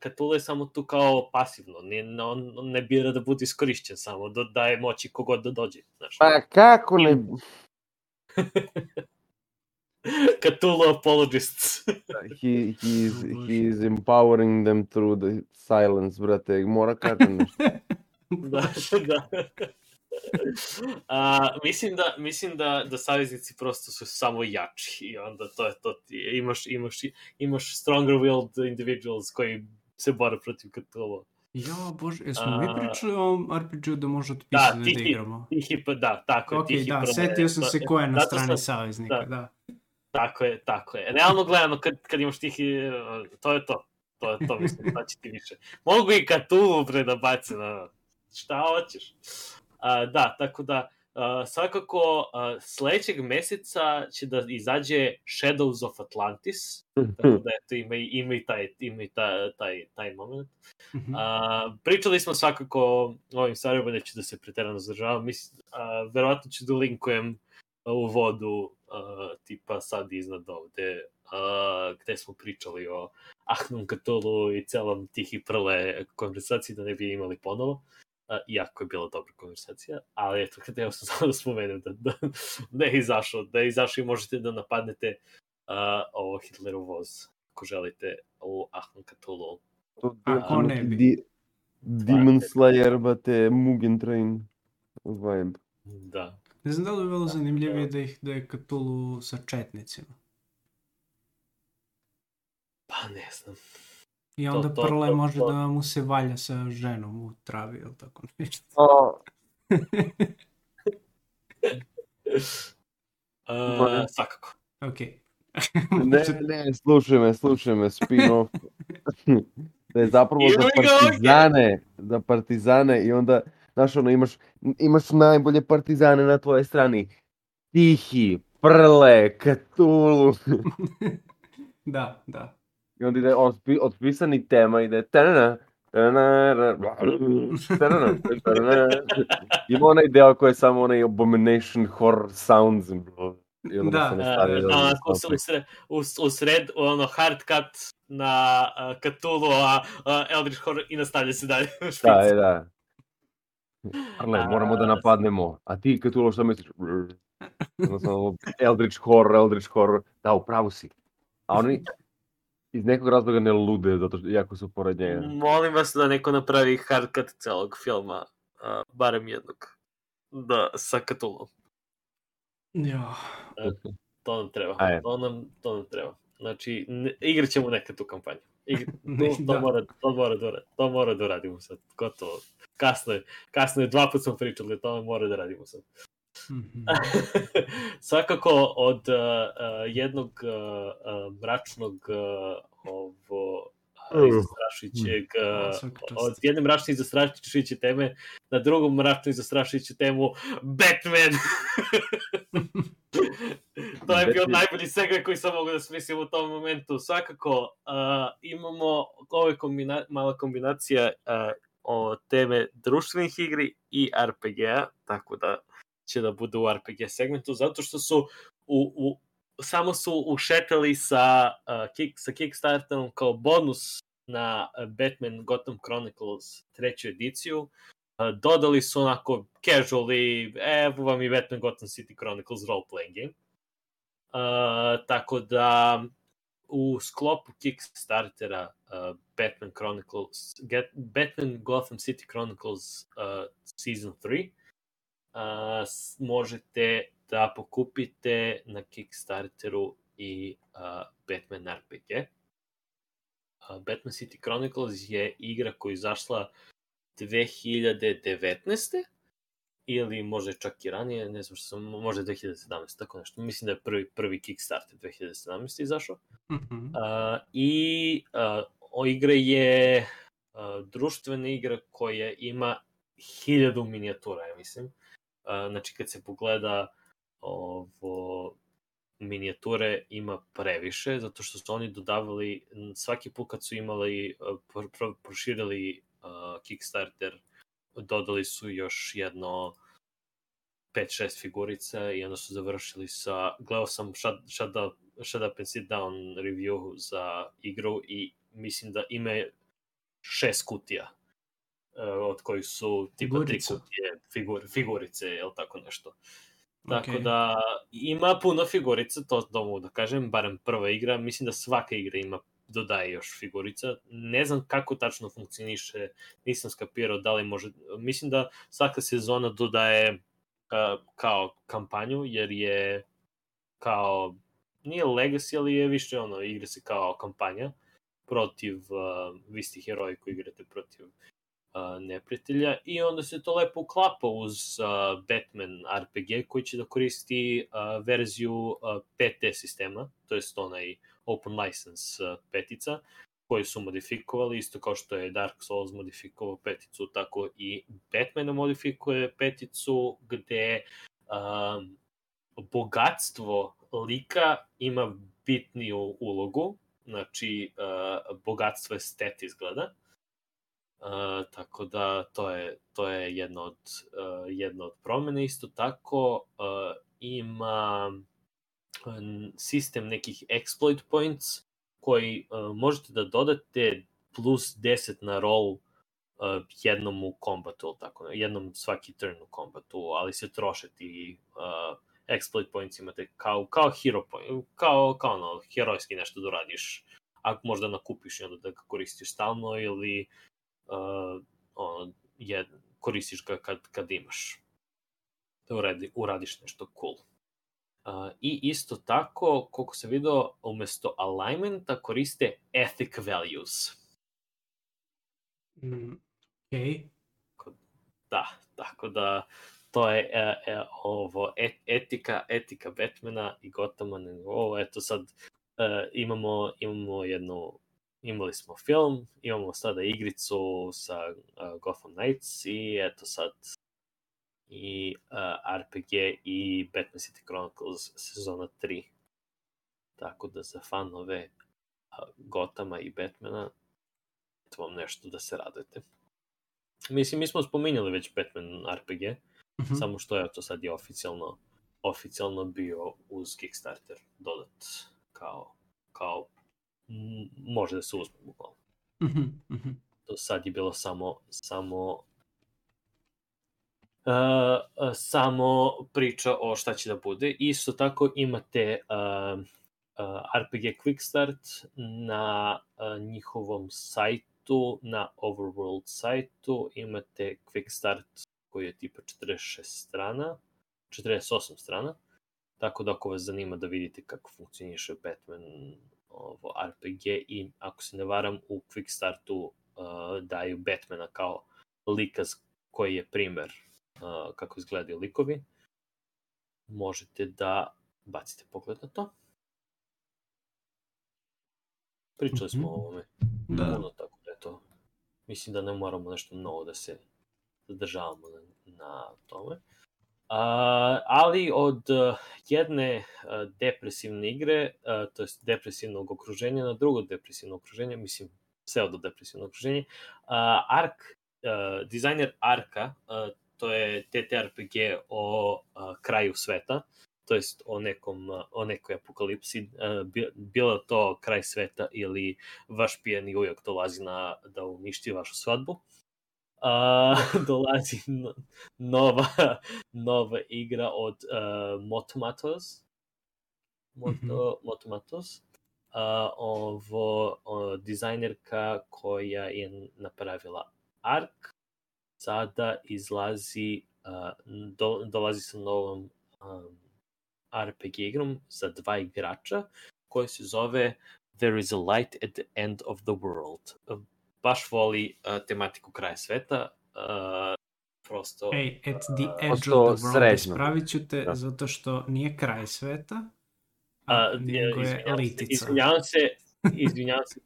Cthulhu je samo tu kao pasivno. On ne bira da bude iskorišćen samo, da daje moći kogod da dođe. Pa kako ne... Cthulhu apologists. He is empowering them through the silence, brate. Mora kažem nešto. Da. Mislim da saveznici prosto su samo jači i onda to je to. Imaš stronger willed individuals koji se bore protiv Cthulhu. Ja, bože, jesmo mi pričali o RPG-u da može otpisati da igramo? Da, tako je. Ok, da, setio sam se ko je na strani saveznika, da. Tako je. Realno gledano, kad imaš tihi, to je to. To mislim, znači ti više. Mogu i Cthulhu predabaci, šta hoćeš? Da, tako da svakako sledećeg meseca će da izađe Shadows of Atlantis, tako da eto, ima i taj moment. Pričali smo svakako o ovim stvarima, neću da se preterano zadržavam, verovatno ću da linkujem u vodu tipa sad iznad ovde, gde smo pričali o Ahnom Cthulhu i celom Tihi Prle konversaciji, da ne bi imali ponovo. Iako je bila dobra konversacija, ali eto, htio sam samo da spomenem da je izašao i možete da napadnete ovo Hitlerov voz, ako želite, u Ahnom Cthulhu. Ako ne bi. Demon Slayer, bate, Mugen Train vibe. Da. Ne znam da li bi bilo zanimljivije da je Cthulhu sa četnicima. Pa ne znam. I onda Prle može da mu se valja sa ženom u travi, ili tako nešto. Svakako. Ok. Ne, slušaj me, spin-off. Da je zapravo za partizane i onda, znaš ono, imaš najbolje partizane na tvojoj strani. Tihi, Prle, Cthulhu. Da. I onda ide otpisani tema, ide ima onaj deo koji je samo onaj abomination horror sounds i onda se nastavi u sred ono hard cut na Cthulhu, Eldritch horror i nastavlja se dalje. Da. Arle, moramo da napadnemo. A ti Cthulhu što misliš? Eldritch horror. Da, upravo si. A oni iz nekog razloga ne lude, zato što jako su pored njega. Molim vas da neko napravi hard cut celog filma, barem jednog, sa Cthulhu. Ja. To nam treba. To nam treba. Znači, igrat ćemo nekad tu kampanju. To mora da uradimo sad. Gotovo. Kasno je, 2 puta smo pričali, to mora da radimo sad. Svakako od jednog mračnog zastrašujućeg od jedne mračne i zastrašujuće teme na drugu mračnu i zastrašujuću temu Batman. To je bio najbolji segue koji sam mogu da smislim u tom momentu. Svakako imamo ove mala kombinacija o teme društvenih igri i RPG-a, tako da će da bude u RPG segmentu, zato što su samo su ušetali sa Kickstarterom kao bonus na Batman Gotham Chronicles 3. ediciju. Dodali su onako casually, evo vam i Batman Gotham City Chronicles role-playing game. Tako da u sklopu Kickstartera Batman Gotham City Chronicles Season 3 možete da pokupite na Kickstarteru i Batman RPG. Batman City Chronicles je igra koja je izašla 2019. ili možda čak i ranije, ne znam što sam, možda 2017, tako nešto. Mislim da je prvi Kickstarter 2017 izašao. I igra je društvena igra koja ima 1000 minijatura, ja mislim. Znači, kad se pogleda minijature ima previše, zato što su oni dodavali, svaki put kad su imali, proširili Kickstarter, dodali su još jedno 5-6 figurica i onda su završili sa, gledao sam Shut Up and Sit Down review za igru i mislim da ima 6 kutija, od kojih su tipa 3 kutije figurice, ili tako nešto. Tako da ima puno figurica, to mogu da kažem, barem prva igra, mislim da svaka igra dodaje još figurica. Ne znam kako tačno funkcioniše, nisam skapirao da li može, mislim da svaka sezona dodaje kao kampanju, jer je kao, nije legacy, ali je više igra se kao kampanja protiv, vi ste heroji koji igrate protiv neprijatelja i onda se to lepo uklapa uz Batman RPG koji će da koristi verziju 5T sistema, to je onaj Open License petica koju su modifikovali, isto kao što je Dark Souls modifikovao peticu, tako i Batman modifikuje peticu gde bogatstvo lika ima bitniju ulogu, znači bogatstvo estet izgleda. Tako da to je jedna od promene. Isto tako ima sistem nekih exploit points koji možete da dodate plus 10 na roll jednom u kombatu, tako, jednom svaki turn u kombatu, ali se troše ti exploit points, imate kao hero point, kao herojski nešto da uradiš, ako možda nakupiš i onda da ga koristiš stalno ili koristiš ga kad imaš da uradiš nešto cool. I isto tako, koliko sam vidio, umesto alignmenta koriste ethic values. Da, tako da to je etika Batmana i Gothama. Eto sad imali smo film, imamo sada igricu sa Gotham Knights i eto sad i RPG i Batman City Chronicles sezona 3. Tako da za fanove Gothama i Batmana to vam nešto da se radujete. Mislim, mi smo spominjali već Batman RPG, samo što je to sad je oficijalno bio uz Kickstarter dodat kao može da se uzme bukvalno. To sad je bilo samo priča o šta će da bude. Isto tako imate RPG Quick Start na njihovom sajtu, na Overworld sajtu imate Quick Start koji je tipa 48 strana, tako da ako vas zanima da vidite kako funkcioniše Batman RPG i ako se ne varam u Quick Startu daju Batmana kao lika koji je primer kako izgledaju likovi, možete da bacite pogled na to. Pričali smo o ovome puno, tako da je to, mislim da ne moramo nešto novo da se zadržavamo na tome. Ali od jedne depresivne igre, to je depresivnog okruženja, na drugo depresivno okruženje, mislim, pseudo-depresivno okruženje, dizajner Arka, to je TTRPG o kraju sveta, to jest o nekoj apokalipsi, bilo to kraj sveta ili vaš pijani ujak dolazi da uništi vašu svadbu. Dolazi nova igra od Motomatos Moto Matos. Dizajnerka koja je napravila Ark, sada izlazi, dolazi sa novom RPG igrom za 2 igrača, koja se zove There is a light at the end of the world. Baš voli tematiku kraja sveta. Prosto... At the edge of the world. Ispravit ću te zato što nije kraj sveta, nego je litica. Izvinjavam se,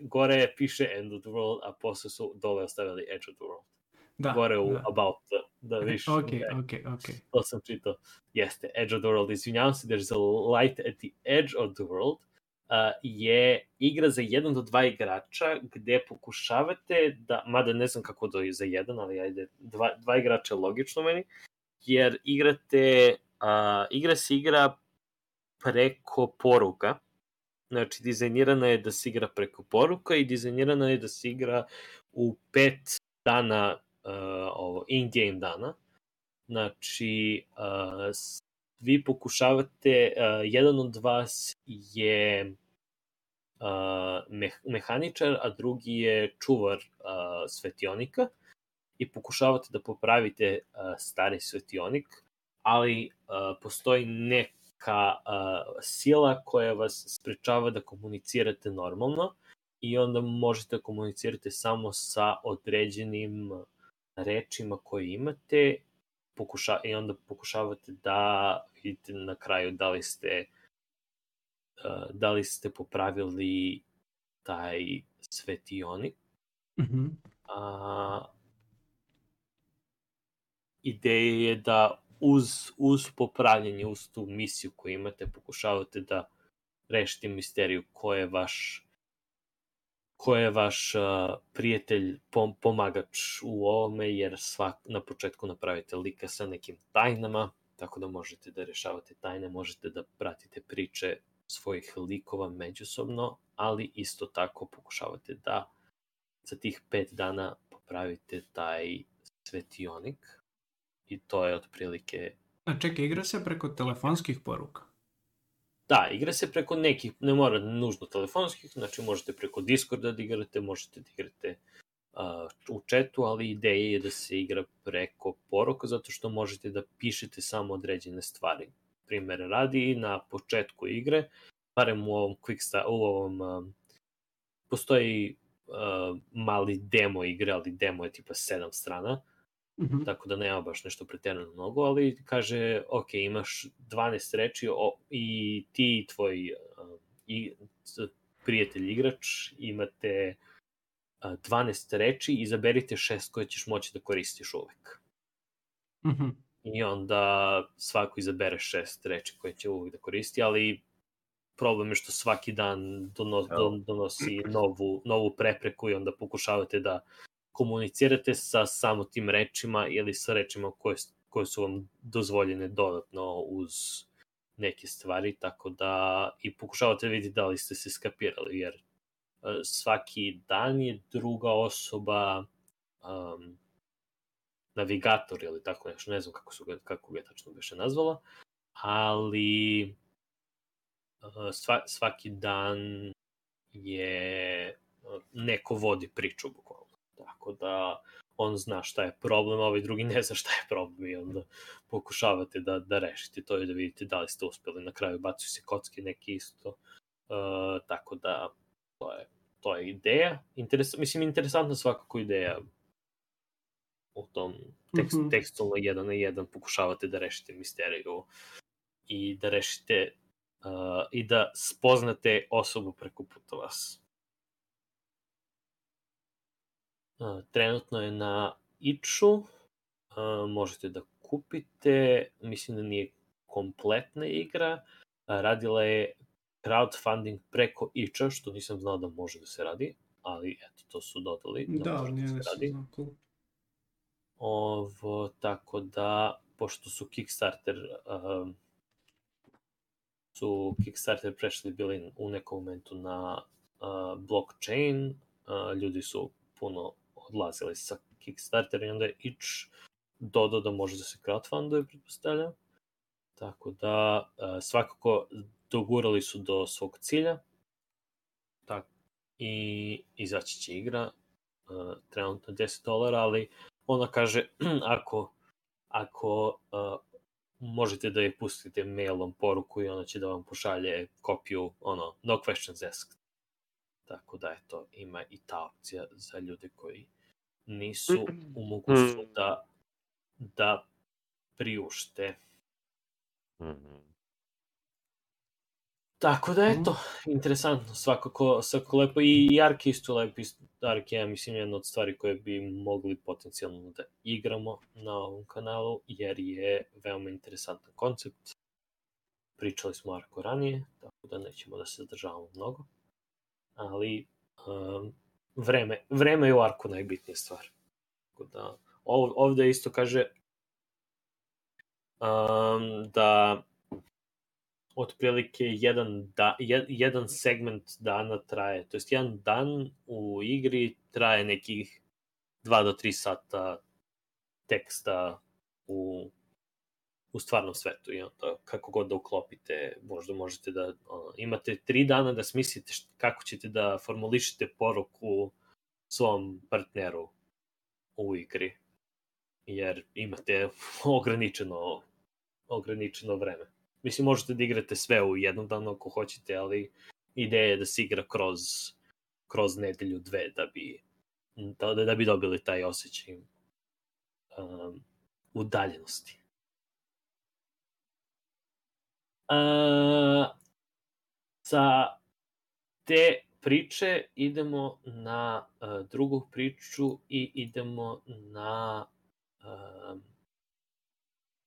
gore piše end of the world, a posle su dole ostavili edge of the world. Gore u about the viš. Ok. To sam čitao. Jeste, edge of the world. Izvinjavam se, there's a light at the edge of the world. Je igra za 1 do 2 igrača gde pokušavate da, mada ne znam kako da je za 1, ali ajde, 2 igrača je logično meni, jer igra se igra preko poruka. Znači, dizajnirana je da se igra preko poruka i dizajnirana je da se igra u 5 dana, in-game dana. Znači, vi pokušavate, jedan od vas je mehaničar, a drugi je čuvar svetionika i pokušavate da popravite stari svetionik, ali postoji neka sila koja vas sprečava da komunicirate normalno i onda možete komunicirati samo sa određenim rečima koje imate i onda pokušavate da vidite na kraju da li ste popravili taj svetionik. Mm-hmm. Ideja je da uz popravljanje, uz tu misiju koju imate, pokušavate da rešite misteriju ko je vaš prijatelj, pomagač u ovome, jer na početku napravite lika sa nekim tajnama, tako da možete da rešavate tajne, možete da pratite priče svojih likova međusobno, ali isto tako pokušavate da za tih 5 dana popravite taj svetionik i to je otprilike... A čekaj, igra se preko telefonskih poruka? Da, igra se preko nekih, ne mora nužno telefonskih, znači možete preko Discorda da igrate, možete da igrate u chatu, ali ideja je da se igra preko poruka, zato što možete da pišete samo određene stvari. Primer radi, na početku igre, barem u ovom postoji mali demo igre, ali demo je tipa 7 strana, mm-hmm. Tako da nema baš nešto pretjerano mnogo, ali kaže, ok, imaš 12 reči i ti i tvoj prijatelj igrač imate 12 reči, izaberite 6 koje ćeš moći da koristiš uvek. Mm-hmm. I onda svako izabere 6 reči koje će uvek da koristi, ali problem je što svaki dan donosi novu prepreku i onda pokušavate da komunicirate sa samo tim rečima ili sa rečima koje su vam dozvoljene dodatno uz neke stvari, tako da i pokušavate vidjeti da li ste se skapirali, jer svaki dan je druga osoba navigator ili tako nešto, ne znam kako ga tačno biše nazvala, ali svaki dan je neko vodi priču bukvalno. Tako da on zna šta je problem, a ovaj drugi ne zna šta je problem i onda pokušavate da rešite to i da vidite da li ste uspeli. Na kraju bacuju se kocke neki isto. Tako da to je ideja. Interesantna svakako ideja u tom tekstualno 1 na 1 pokušavate da rešite misteriju i da rešite i da spoznate osobu preko puta vas. Trenutno je na itch-u, možete da kupite, mislim da nije kompletna igra, radila je crowdfunding preko itch-a, što nisam znao da može da se radi, ali eto, to su dodali da može da se radi. Tako da, pošto su Kickstarter prešli bili u nekom momentu na blockchain, ljudi su puno odlazili sa Kickstarter i onda je itch dodao da može da se crowdfunduje, pretpostavljam. Tako da, svakako dogurali su do svog cilja. I izaći će igra. Trenutno $10, ali ona kaže ako možete da je pustite mailom poruku i ona će da vam pošalje kopiju, no questions asked. Tako da, eto, ima i ta opcija za ljude koji nisu u mogućnosti da priušte. Tako da, eto, interesantno, svakako lepo. I Ark isto lepo. Ark je, mislim, jedna od stvari koje bi mogli potencijalno da igramo na ovom kanalu, jer je veoma interesantan koncept. Pričali smo o Arku ranije, tako da nećemo da se zadržavamo mnogo. Ali vreme je u Arku najbitnija stvar. Tako da, ovde isto kaže da otprilike jedan segment dana traje, to jest jedan dan u igri traje nekih 2 do 3 sata teksta u stvarnom svetu i onda kako god da uklopite, možda možete da imate 3 dana da smislite kako ćete da formulišete poruku svom partneru u igri, jer imate ograničeno vreme. Mislim, možete da igrate sve u jednom danu ako hoćete, ali ideja je da se igra kroz nedelju, 2, da bi dobili taj osjećaj udaljenosti. Sa te priče idemo na drugu priču i idemo na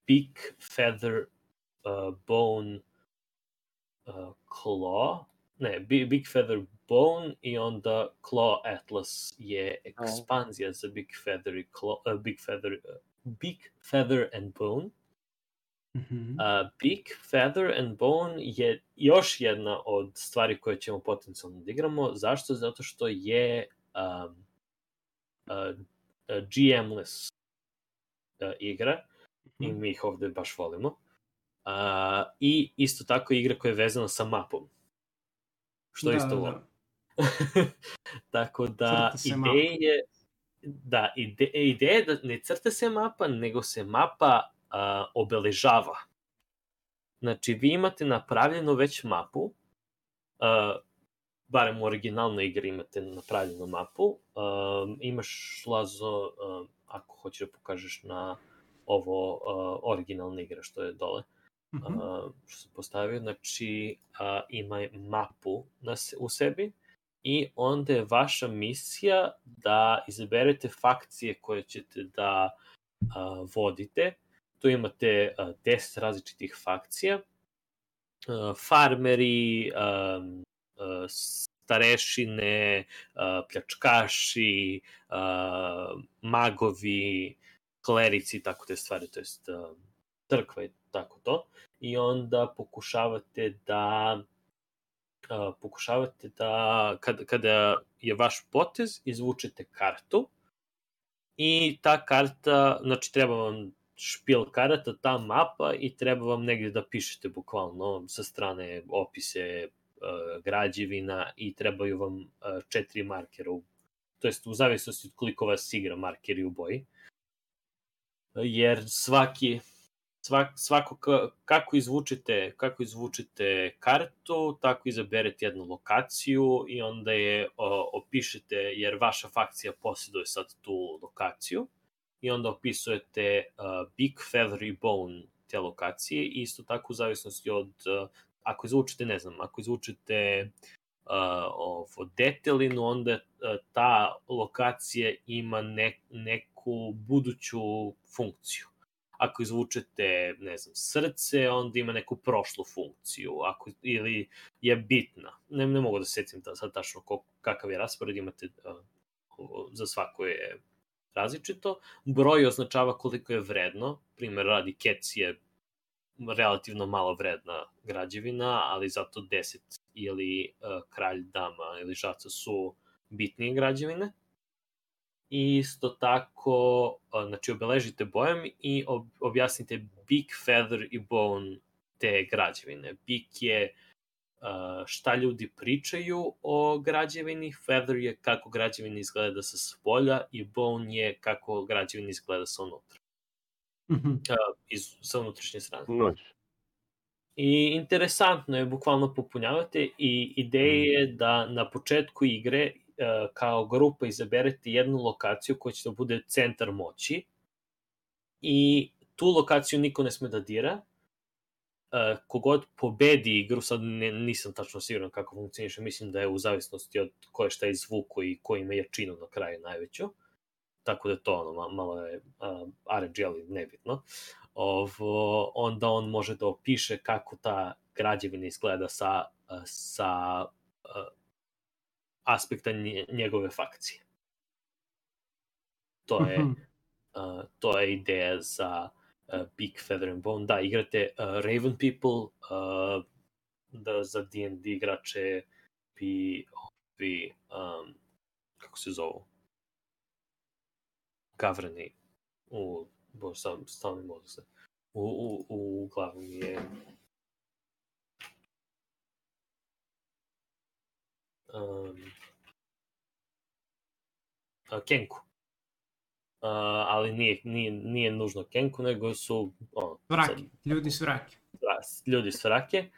Big Feather Bone Claw, Big Feather Bone i onda Claw Atlas je ekspanzija za Big Feather and Bone. Big Feather and Bone je još jedna od stvari koje ćemo potencijalno da igramo. Zašto? Zato što je GM-less igra i mi ih ovde baš volimo. I isto tako igra koja je vezana sa mapom. Što isto volim. Tako da ideja je da ne crta se mapa, nego se mapa obeležava. Znači, vi imate napravljenu već mapu, barem u originalnoj igri imate napravljenu mapu, imaš, Lazo, ako hoćeš da pokažeš na ovo originalna igra što je dole, što se postavio, znači ima mapu u sebi i onda je vaša misija da izaberete fakcije koje ćete da vodite. Tu imate 10 različitih fakcija. Farmeri, starešine, pljačkaši, magovi, klerici, tako te stvari, to jest crkva i tako to. I onda pokušavate da kada je vaš potez, izvučete kartu i ta karta, znači treba vam špil karata, ta mapa i treba vam negdje da pišete bukvalno sa strane opise građevina i trebaju vam 4 markera, to jest u zavisnosti od koliko vas igra markeri u boji. Jer kako izvučete kartu, tako izaberete jednu lokaciju i onda je opišete, jer vaša fakcija posjeduje sad tu lokaciju, i onda opisujete Big Feather i Bone te lokacije i isto tako u zavisnosti od, ako izvučete detelinu, onda ta lokacija ima neku buduću funkciju. Ako izvučete, srce, onda ima neku prošlu funkciju, ili je bitna. Ne mogu da se sjetim sad tačno kakav je raspored, imate za svako je različito. Broj označava koliko je vredno. Primer radi, kec je relativno malo vredna građevina, ali zato 10 ili kralj, dama ili žaca su bitnije građevine. I isto tako, znači obeležite bojem i objasnite Beak, Feather i Bone te građevine. Beak je šta ljudi pričaju o građevini, Feather je kako građevina izgleda sa spolja i Bone je kako građevina izgleda sa unutra. Sa unutrašnje strane. I interesantno je, bukvalno popunjavate i ideja je da na početku igre kao grupa izaberete jednu lokaciju koja će da bude centar moći i tu lokaciju niko ne sme da dira. Kogod pobedi igru, sad nisam tačno siguran kako funkcioniše, mislim da je u zavisnosti od ko je šta izvuko i ko ima jačinu na kraju najveću, tako da je to malo je RNG, ali nebitno. Onda on može da opiše kako ta građevina izgleda sa aspekta njegove fakcije. To je ideja za Beak, Feather and Bone. Da, igrate Raven People, da za D&D igrače bi kako se zovu? Gavrani stavni mozak se. U glavu mi je Kenku. Ali nije nužno Kenku, nego su ljudi s vrake. Ljudi s vrake.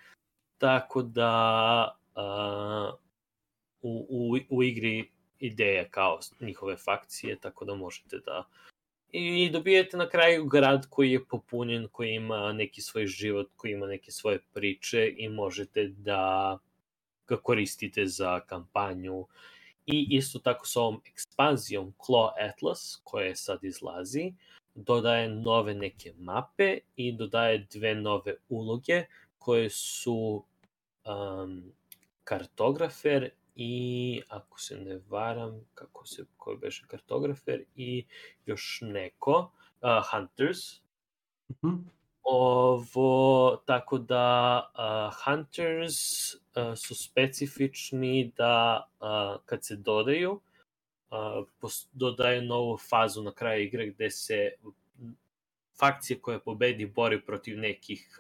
Tako da u igri ideja kao njihove fakcije, tako da možete da i dobijete na kraju grad koji je popunjen, koji ima neki svoj život, koji ima neke svoje priče i možete da ga koristite za kampanju. I isto tako s ovom ekspanzijom Claw Atlas, koja sad izlazi, dodaje nove neke mape i dodaje 2 nove uloge koje su kartografer i, ako se ne varam, koji beše kartografer i još neko, Hunters. Tako da Hunters su specifični da kad se dodaju, dodaju novu fazu na kraju igre gde se fakcije koje pobedi bori protiv nekih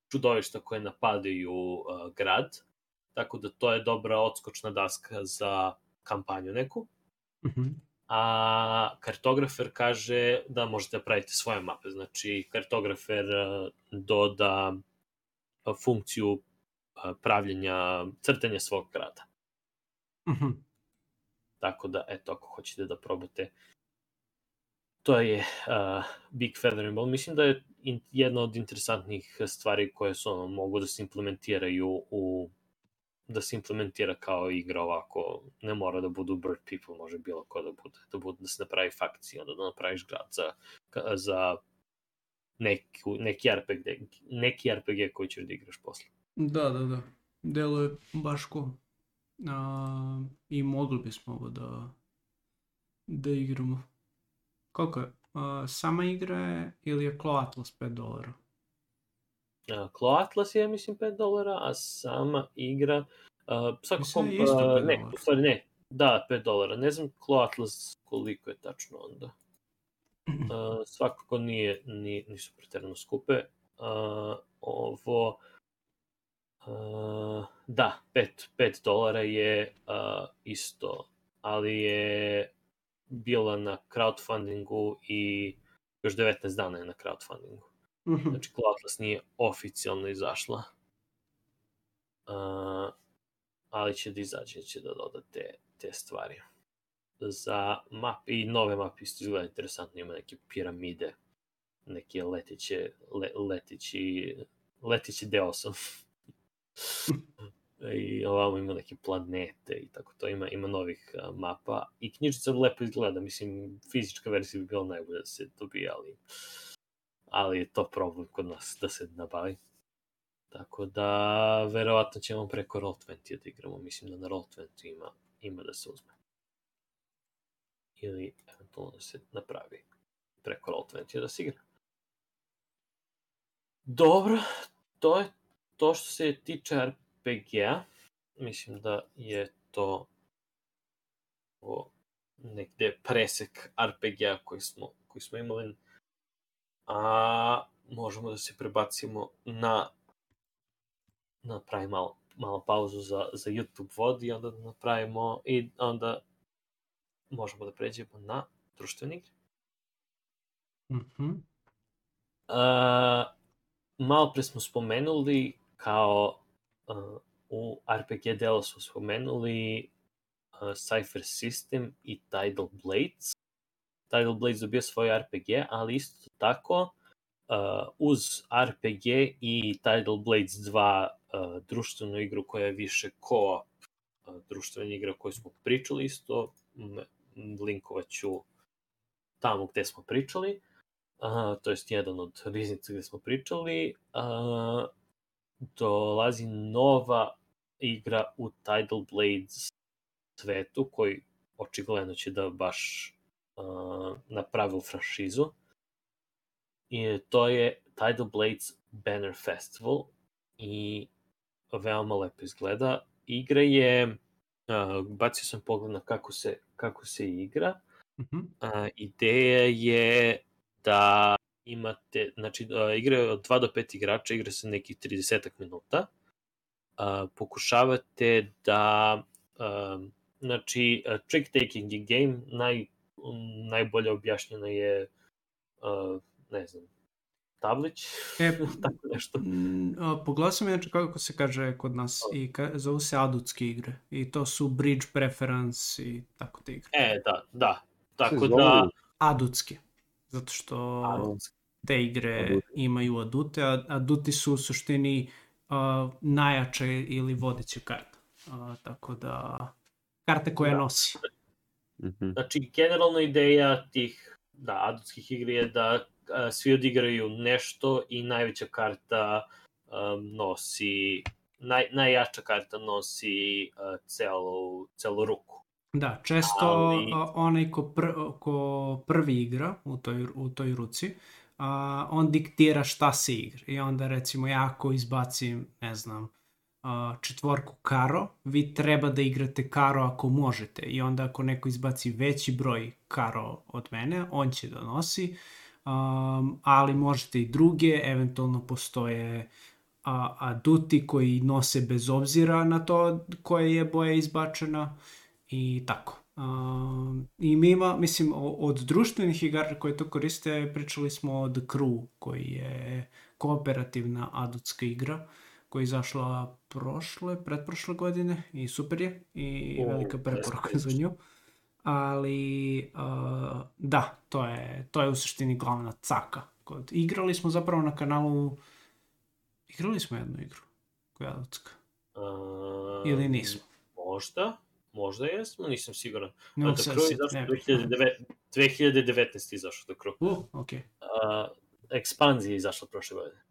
čudovišta koje napadaju grad. Tako da to je dobra odskočna daska za kampanju neku. A kartografer kaže da možete da pravite svoje mape. Znači, kartografer doda funkciju pravljenja, crtanja svog grada. Tako da, eto, ako hoćete da probate, to je Beak, Feather and Bone. Mislim da je jedna od interesantnih stvari koje su mogu da se implementiraju da se implementira kao igra ovako, ne mora da budu Bird People, može bilo ko da bude, da se napravi fakcija, onda da napraviš grad za neki RPG koji ćeš da igraš posle. Da. Delo je baš ko. I mogli bismo da igramo. Koliko je? Sama igra je ili je Claw Atlas $5? Claw Atlas je, mislim, $5, a sama igra svakako, ne, u stvari ne, da, $5. Ne znam Claw Atlas koliko je tačno onda. Svakako nisu preterano skupe. Da, $5 je isto, ali je bila na crowdfundingu i još 19 dana je na crowdfundingu. Znači, Claw Atlas nije oficijalno izašla. Ali će da izađe, će da doda te stvari. Za mape i nove mape isto izgleda interesantno, ima neke piramide, neke leteći deo sam. I ovamo ima neke planete i tako to, ima novih mapa i knjižica lepo izgleda, mislim, fizička verzija bi bila najbolja da se dobije, ali je to problem kod nas da se nabavi. Tako da, verovatno ćemo preko Roll20 da igramo. Mislim da na Roll20 ima da se uzme. Ili eventualno da se napravi preko Roll20 da se igra. Dobro, to je to što se tiče RPG-a. Mislim da je to negde presek RPG-a koji smo imali. A možemo da se prebacimo napravimo malo pauzu za YouTube vod i onda napravimo i onda možemo da pređemo na društvene igre. Malo pre smo spomenuli kao u RPG delu smo spomenuli Cypher System i Tidal Blades. Tidal Blades dobio svoj RPG, ali isto tako uz RPG i Tidal Blades 2 društvenu igru koja je više co-op društvena igra koju smo pričali isto, linkovat ću tamo gde smo pričali, to jest jedan od riznica gde smo pričali, dolazi nova igra u Tidal Blades svetu koji očigledno će da baš napravi u franšizu. I to je Tidal Blades Banner Festival i veoma lepo izgleda. Igra je, bacio sam pogled na kako se igra. Ideja je da imate, znači igra je od 2 do 5 igrača, igra se nekih 30 minuta. Pokušavate da, znači trick-taking game, najbolje objašnjeno je, ne znam, tablić, tako nešto. Pogledao sam inače kako se kaže kod nas i zovu se adutske igre i to su bridge preference i tako te igre. Da. Tako da... Adutske, zato što te igre imaju adute, a aduti su u suštini najjače ili vodeće karte. Tako da, karte koje nosi. Znači, generalna ideja tih adutskih igri je da svi odigraju nešto i najveća karta nosi, najjača karta nosi celu ruku. Da, često onaj ko prvi igra u toj ruci, on diktira šta se igra. I onda recimo ja ako izbacim, ne znam, 4 karo, vi treba da igrate karo ako možete. I onda ako neko izbaci veći broj karo od mene, on će da nosi. Ali možete i druge, eventualno postoje aduti koji nose bez obzira na to koja je boja izbačena i tako. I mi ima, mislim, od društvenih igara koje to koriste, pričali smo o The Crew, koji je kooperativna adutska igra, koja je izašla pretprošle godine i super je i velika preporuka za nju. Ali da, to je u suštini glavna caka. Igrali smo zapravo na kanalu, igrali smo jednu igru koja je adutska. Ili nismo? Možda jesmo, nisam siguran. The Crew je 2019 izašao The Crew. Okay. Ekspanzija je izašla prošle godine.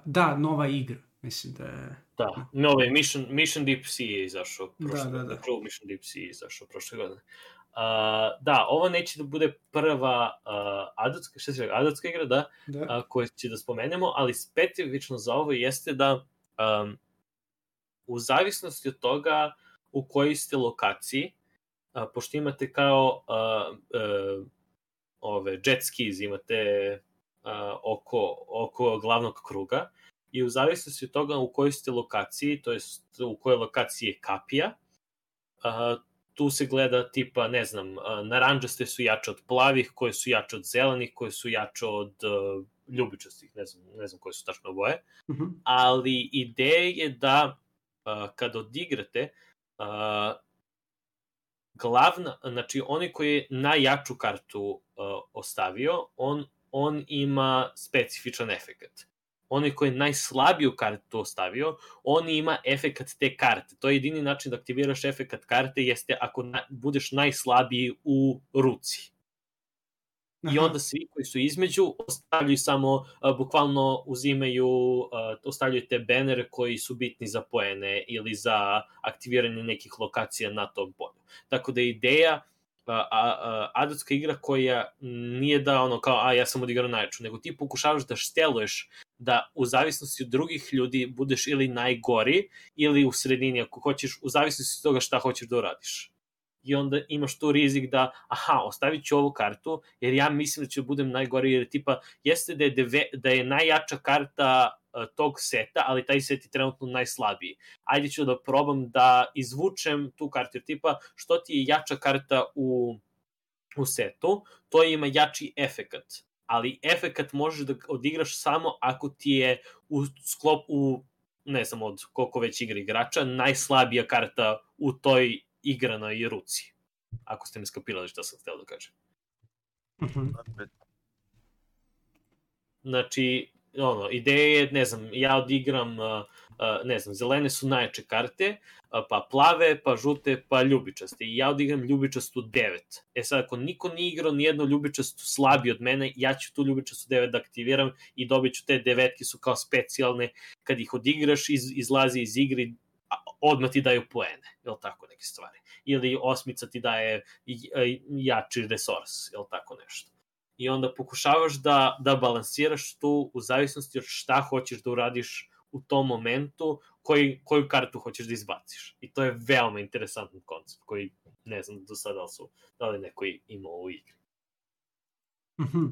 Da, nova igra. Mislim da je... Da, nove Mission Deep Sea je izašao prošle godine. Da. Crew Mission Deep Sea je izašao prošle godine. Da, ovo neće da bude prva adutska igra, da. Koju će da spomenemo, ali specifično za ovo jeste da u zavisnosti od toga u kojoj ste lokaciji, pošto imate kao jet skis, imate oko glavnog kruga, i u zavisnosti od toga u kojoj ste lokaciji, to jest u kojoj lokaciji je kapija, tu se gleda tipa, ne znam, naranđaste su jače od plavih, koje su jače od zelenih, koje su jače od ljubičastih, ne znam koje su tačno boje, ali ideja je da kad odigrate, znači onaj koji je najjaču kartu ostavio, on ima specifičan efekat. Onaj koji je najslabiju kartu ostavio, on ima efekat te karte. To je jedini način da aktiviraš efekat karte, jeste ako budeš najslabiji u ruci. I onda svi koji su između ostavljaju samo, bukvalno ostavljaju te bannere koji su bitni za poene ili za aktiviranje nekih lokacija na tom polju. Tako da je ideja adutska igra koja nije da ono kao, ja sam odigrao najjaču, nego ti pokušavaš da šteluješ da u zavisnosti od drugih ljudi budeš ili najgori ili u sredini ako hoćeš, u zavisnosti od toga šta hoćeš da uradiš. i onda imaš tu rizik da, ostavit ću ovu kartu, jer ja mislim da ću budem najgori, jer tipa, jeste da je najjača karta tog seta, ali taj set je trenutno najslabiji. Ajde ću da probam da izvučem tu kartu, jer tipa, što ti je jača karta u setu, to ima jači efekat. Ali efekat možeš da odigraš samo ako ti je u ne znam od koliko već igra igrača, najslabija karta u toj igranoj ruci. Ako ste mi skapirali šta sam htio da kažem. Znači, ideja je, ne znam, ja odigram, ne znam, zelene su najjače karte, pa plave, pa žute, pa ljubičaste. I ja odigram ljubičastu 9. Sad, ako niko nije igrao nijednu ljubičastu slabiji od mene, ja ću tu ljubičastu 9 da aktiviram i dobit ću te 9 su kao specijalne. Kad ih odigraš, izlazi iz igre, odmah ti daju poene, jel tako, neke stvari. Ili 8 ti daje jači resurs, jel tako nešto. I onda pokušavaš da balansiraš tu u zavisnosti od šta hoćeš da uradiš u tom momentu, koju kartu hoćeš da izbaciš. I to je veoma interesantan koncept koji ne znam do sada da li neko imao u igri.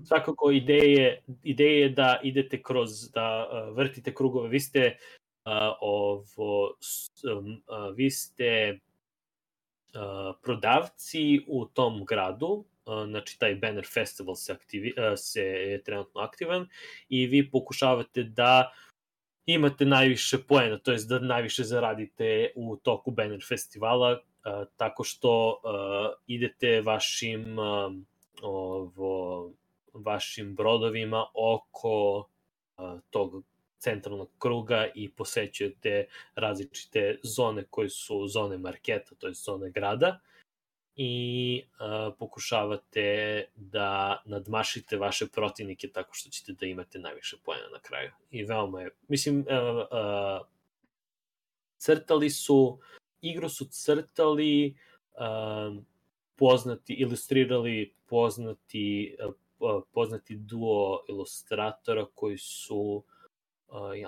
Svakako ideja je da idete da vrtite krugove. Vi ste prodavci u tom gradu, znači taj Banner Festival se je trenutno aktivan i vi pokušavate da imate najviše poena, to jest da najviše zaradite u toku Banner Festivala, tako što idete vašim brodovima oko tog centralnog kruga i posećujete različite zone koje su zone marketa, to je zone grada, i pokušavate da nadmašite vaše protivnike tako što ćete da imate najviše poena na kraju. I veoma je, mislim, igru su crtali ilustrirali poznati duo ilustratora koji su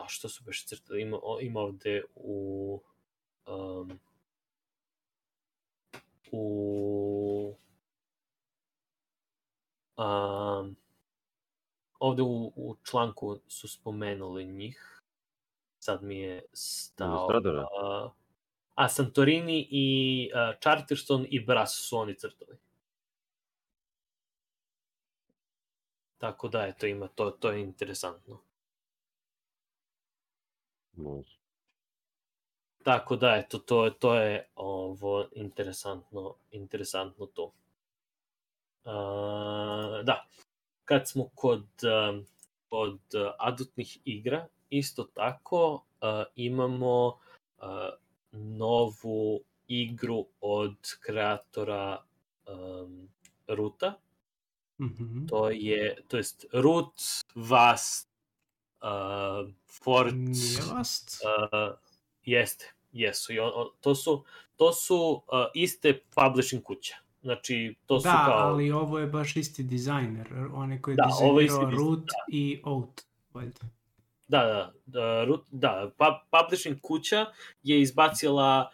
što su baš crtali, ima ovde ovde u članku su spomenuli njih. Sad mi je stao... Santorini i Charterstone i Brass su oni crtali. Tako da, eto, ima to je interesantno. Može. Tako da, eto, to je interesantno to. Da, kad smo kod adultnih igra, isto tako imamo novu igru od kreatora Roota. To jest Root, Vast, Fort... Nije Vast? Jesu. To su iste publishing kuće. Znači, to su da, kao... ali ovo je baš isti dizajner. On je koji je dizajnirao Root i Oat. Da, publishing kuća je izbacila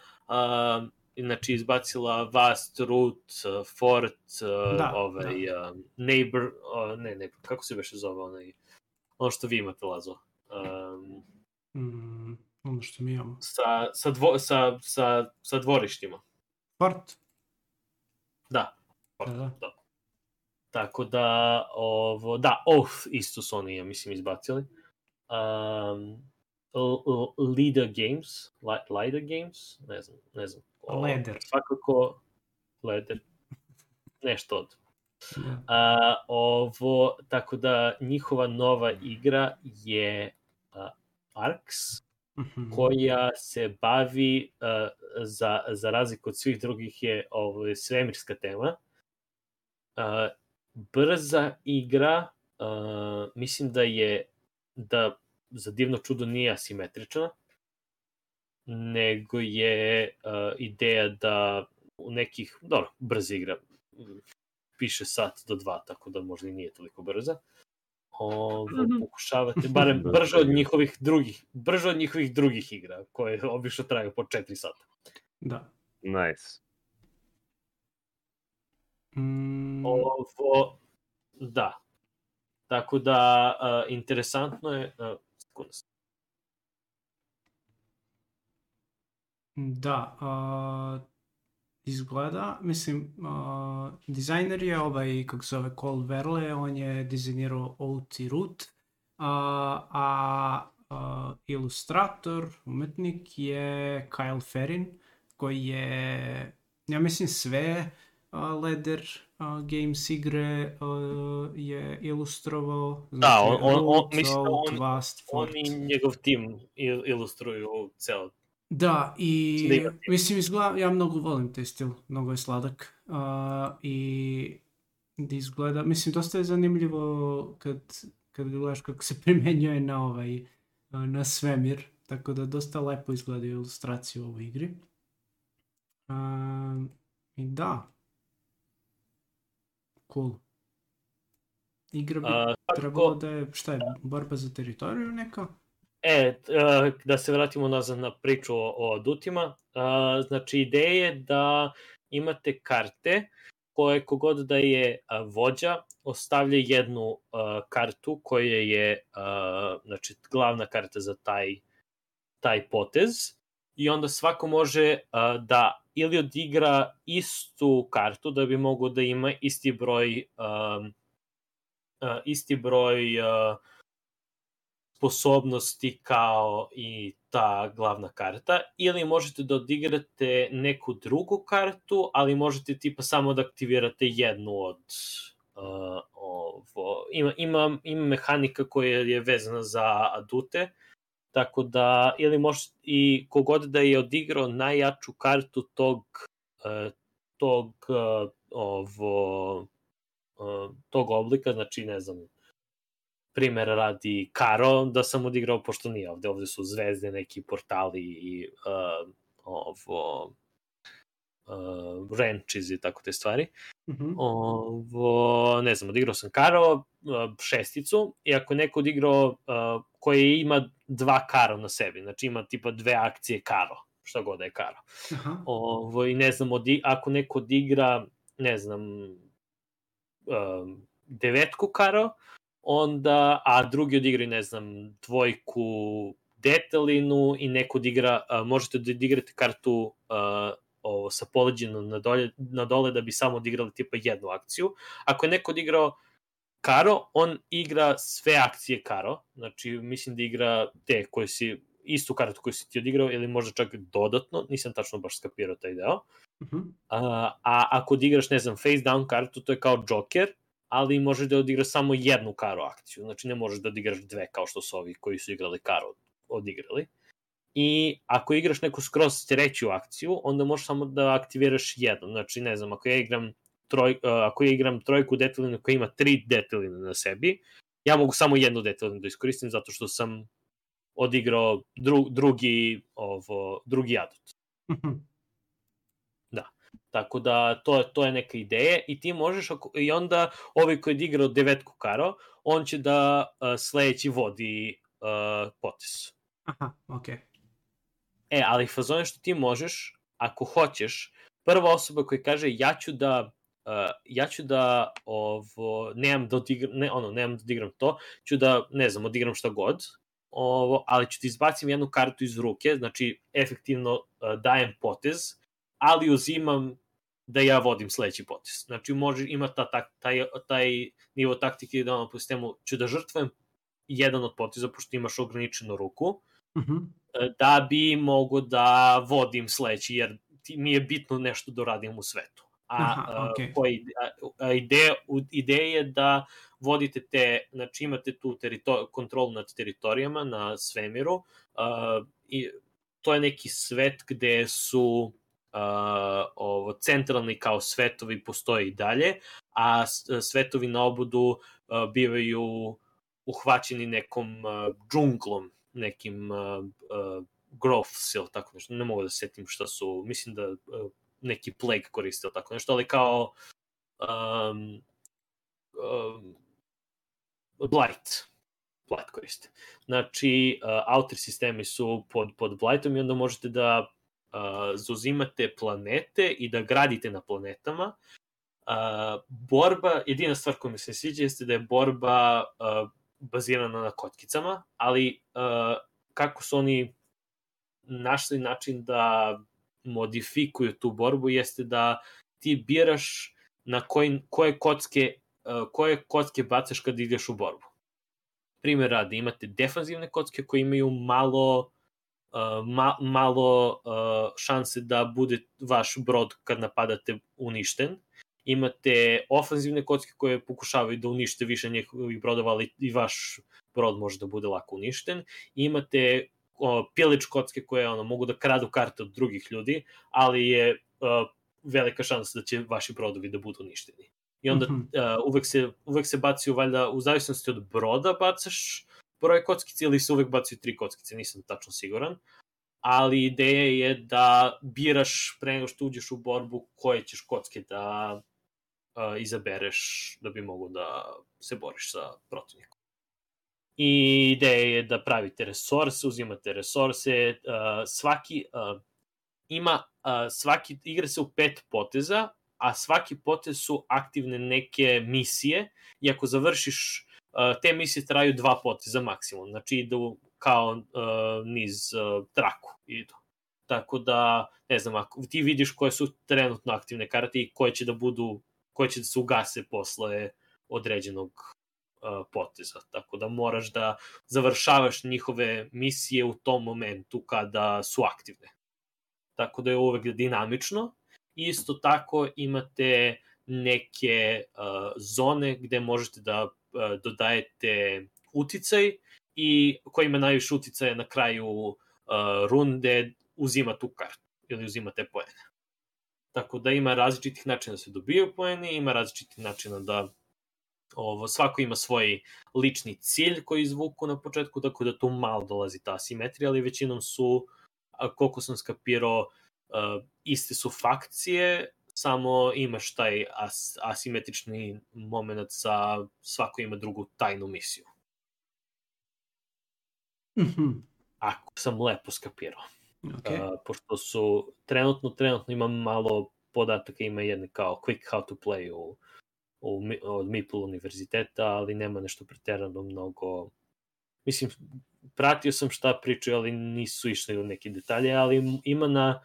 Vast, Root, Fort, Neighbor, kako se beše zove ono što vi imate, Lazo? Ono što mi imamo. Sa dvorištima. Fort? Da. Tako da, Oath isto su oni, ja mislim, izbacili. Lida Games, ne znam. Leder. Svakako, Leder. Nešto od. Tako da, njihova nova igra je Arx, koja se bavi, za razliku od svih drugih, je svemirska tema. Brza igra, mislim da za divno čudo nije asimetrična, nego je ideja da u nekih, brza igra, piše sat do 2, tako da možda i nije toliko brza. Pokušavate, barem brže od njihovih drugih igra, koje obično traju po 4 sata. Da. Nice. Ovo, da. Tako da, interesantno je... Da, izgleda, mislim, dizajner je kako se zove Cole Verle, on je dizajnirao OT Root, a ilustrator, umetnik je Kyle Ferrin, koji je, ja mislim, sve Ladder Games igre je ilustrovao. Znači, da, on i njegov tim ilustruju ceo. Da, i mislim, izgleda, ja mnogo volim taj stil, mnogo je sladak i izgleda, mislim, dosta je zanimljivo kad gledaš kako se primenjuje na svemir, tako da dosta lepo izgleda ilustracija u ovoj igri. I da, cool. Igra bi trebalo da je, šta je, borba za teritoriju neka? Da se vratimo nazad na priču o adutima. Znači, ideja je da imate karte koje kogod da je vođa ostavlja jednu kartu koja je znači, glavna karta za taj potez i onda svako može da ili odigra istu kartu da bi mogao da ima isti broj sposobnosti kao i ta glavna karta, ili možete da odigrate neku drugu kartu, ali možete tipa samo da aktivirate jednu od ima mehanika koja je vezana za adute, tako da ili možete i kogod da je odigrao najjaču kartu tog oblika, znači ne znam, primer radi Karo, da sam odigrao, pošto nije ovde su zvezde, neki portali i wrenches i tako te stvari. Ne znam, odigrao sam Karo, šesticu, i ako neko odigrao koji ima 2 Karo na sebi, znači ima tipa 2 akcije Karo, šta god da je Karo. I ne znam, ako neko odigra, ne znam, 9 Karo, onda, a drugi odigraju, ne znam, 2 Detelinu i neko odigra, možete da odigrate kartu sa poleđenom na dole da bi samo odigrali tipa jednu akciju. Ako je neko odigrao Karo, on igra sve akcije Karo, znači mislim da igra te koje si, istu kartu koju si ti odigrao ili možda čak dodatno, nisam tačno baš skapirao taj deo. A ako odigraš, ne znam, face down kartu, to je kao Joker, ali možeš da odigraš samo jednu Karo akciju, znači ne možeš da odigraš 2 kao što su ovi koji su igrali Karo odigrali. I ako igraš neku skroz treću akciju, onda možeš samo da aktiviraš jednu, znači ne znam, ako ja igram 3 Detelinu koja ima 3 Deteline na sebi, ja mogu samo jednu Detelinu da iskoristim zato što sam odigrao drugi adut. Da. Tako da to je neka ideja i ti možeš, i onda ovaj koji je igrao 9 Karo, on će da sledeći vodi potez. Aha, okej. Ali fazon je što ti možeš, ako hoćeš, prva osoba koja kaže ja ću da nemam da odigram to, ću da, ne znam, odigram šta god, ali ću ti izbacim jednu kartu iz ruke, znači efektivno dajem potez, ali uzimam da ja vodim sledeći potez. Znači, ima taj nivo taktike da po sistemu ću da žrtvujem jedan od poteza, pošto imaš ograničenu ruku, da bi mogo da vodim sledeći, jer mi je bitno nešto da radim u svetu. Ideja je da vodite znači imate tu kontrolu nad teritorijama na svemiru, i to je neki svet gde su centralni kao svetovi postoje i dalje, a svetovi na obodu bivaju uhvaćeni nekom džunglom, nekim growths ili tako nešto, ne mogu da setim šta su, mislim da neki plague koriste ili tako nešto, ali kao blight koriste. Znači, outer sistemi su pod blightom i onda možete da zauzimate planete i da gradite na planetama borba, jedina stvar koja mi se sviđa jeste da je borba bazirana na kockicama, ali kako su oni našli način da modifikuju tu borbu jeste da ti biraš na koje kocke bacaš kad ideš u borbu. Primjer radi, imate defanzivne kocke koje imaju malo šanse da bude vaš brod kad napadate uništen. Imate ofanzivne kocke koje pokušavaju da unište više njihovih brodova, ali i vaš brod može da bude lako uništen. Imate pillage kocke koje mogu da kradu karte od drugih ljudi, ali je velika šansa da će vaši brodovi da budu uništeni. I onda uvek se baciju, valjda, u zavisnosti od broda bacaš broj kockice ili se uvek bacaju 3 kockice, nisam tačno siguran. Ali ideja je da biraš pre nego što uđeš u borbu koje ćeš kocke da izabereš da bi mogo da se boriš sa protivnikom. I ideja je da pravite resurse, uzimate resurse, svaki igra se u 5 poteza, a svaki potez su aktivne neke misije i ako završiš, te misije traju 2 poteza maksimum, znači idu kao niz traku idu. Tako da, ne znam, ako ti vidiš koje su trenutno aktivne karte i koje će da se ugase posle određenog poteza. Tako da moraš da završavaš njihove misije u tom momentu kada su aktivne. Tako da je uvek dinamično. Isto tako imate neke zone gde možete da dodajete uticaj i ko ima najviše uticaja na kraju runde uzima tu kartu ili uzima te poene. Tako da ima različitih načina da se dobijaju poeni, ima različitih načina da svako ima svoj lični cilj koji izvuku na početku, tako da tu malo dolazi ta asimetrija, ali većinom su, koliko sam skapirao, iste su fakcije, samo imaš taj asimetrični moment svako ima drugu tajnu misiju. Ako sam lepo skapirao. Okay. Pošto su trenutno ima malo podataka, ima jedne kao quick how to play od Maple univerziteta, ali nema nešto preterano mnogo. Mislim, pratio sam šta pričaju, ali nisu išli u neke detalje, ali ima na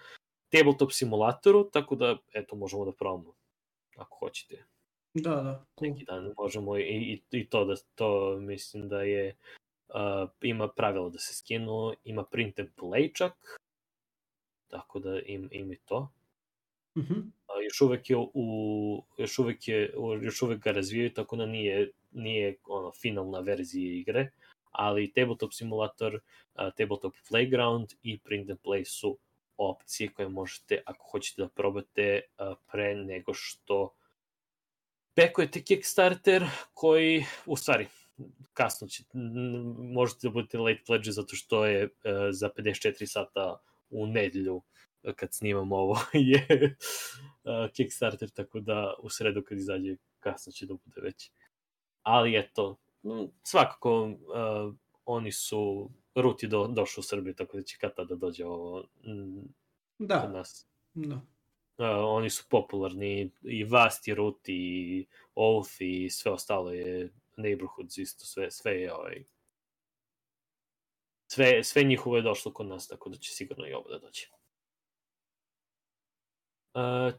tabletop simulatoru, tako da, eto, možemo da probamo, ako hoćete. Da, cool. Neki dan možemo i to mislim da je, ima pravila da se skinu, ima print and play čak, tako da ima i to. Još uvek ga razvijaju, tako da nije finalna verzija igre, ali tabletop simulator, tabletop playground i print and play su opcije koje možete, ako hoćete da probate pre nego što backujete Kickstarter, koji, u stvari, kasno će, možete da budete late pledge zato što je za 54 sata u nedelju kad snimam ovo je Kickstarter, tako da u sredu kad izađe kasno će da bude već. Ali eto, svakako oni su, Root je došao u Srbiju, tako da će kad tada dođe ovo kod nas. Da. Oni su popularni, i Vast, i Root, i Oath, i sve ostalo je Neighborhoods, isto sve je sve njihovo je došlo kod nas, tako da će sigurno i ovo da dođe.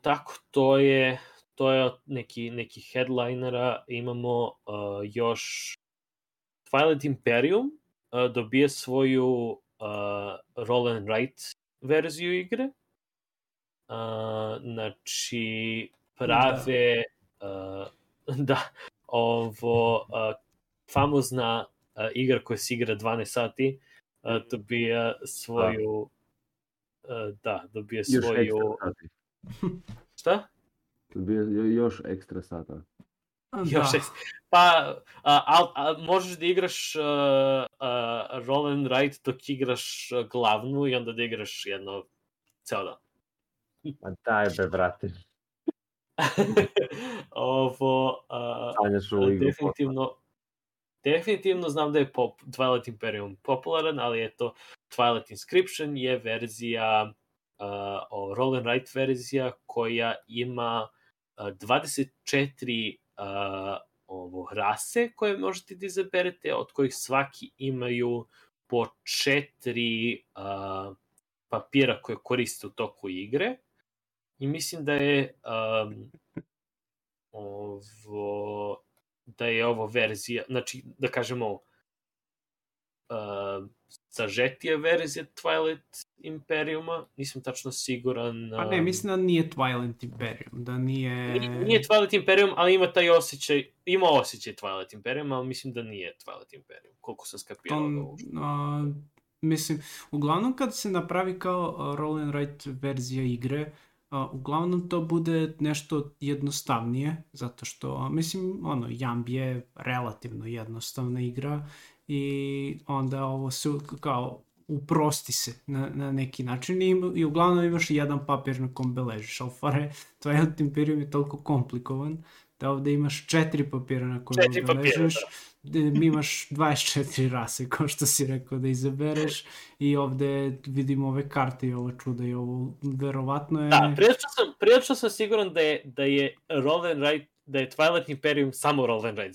Tako, to je neki headlinera. Imamo još Twilight Imperium dobije svoju roll and write verziju igre. Znači, prave famozna igra koja se igra 12 sati dobija svoju dobija svoju šta? Dobija još ekstra sata. Pa možeš da igraš roll and write dok igraš glavnu i onda da igraš jedno ceo dan. Pa daj be, brate. Ovo definitivno znam da je Twilight Imperium popularan, ali eto, Twilight Inscription je verzija roll and write verzija koja ima 24 rase koje možete da izaberete, od kojih svaki imaju po 4 papira koje koriste u toku igre. I mislim da je ovo verzija, znači da kažemo sažetija verzija Twilight Imperiuma, nisam tačno siguran. A ne, mislim da nije Twilight Imperium, da nije... Nije Twilight Imperium, ali ima taj osjećaj, ima osjećaj Twilight Imperium, ali mislim da nije Twilight Imperium, koliko sam skapirao. Mislim, uglavnom kad se napravi kao roll and write verzija igre, uglavnom to bude nešto jednostavnije, zato što, mislim, Jamb je relativno jednostavna igra i onda ovo se kao uprosti se na neki način i uglavnom imaš jedan papir na kom beležiš, ali Twilight Imperium je toliko komplikovan da ovde imaš 4 papira na kojem beležiš, imaš 24 rase, kao što si rekao, da izabereš i ovde vidimo ove karte i ovo čuda i ovo verovatno je... Da, prilično sam siguran da je roll and write, da je Twilight Imperium samo roll and write,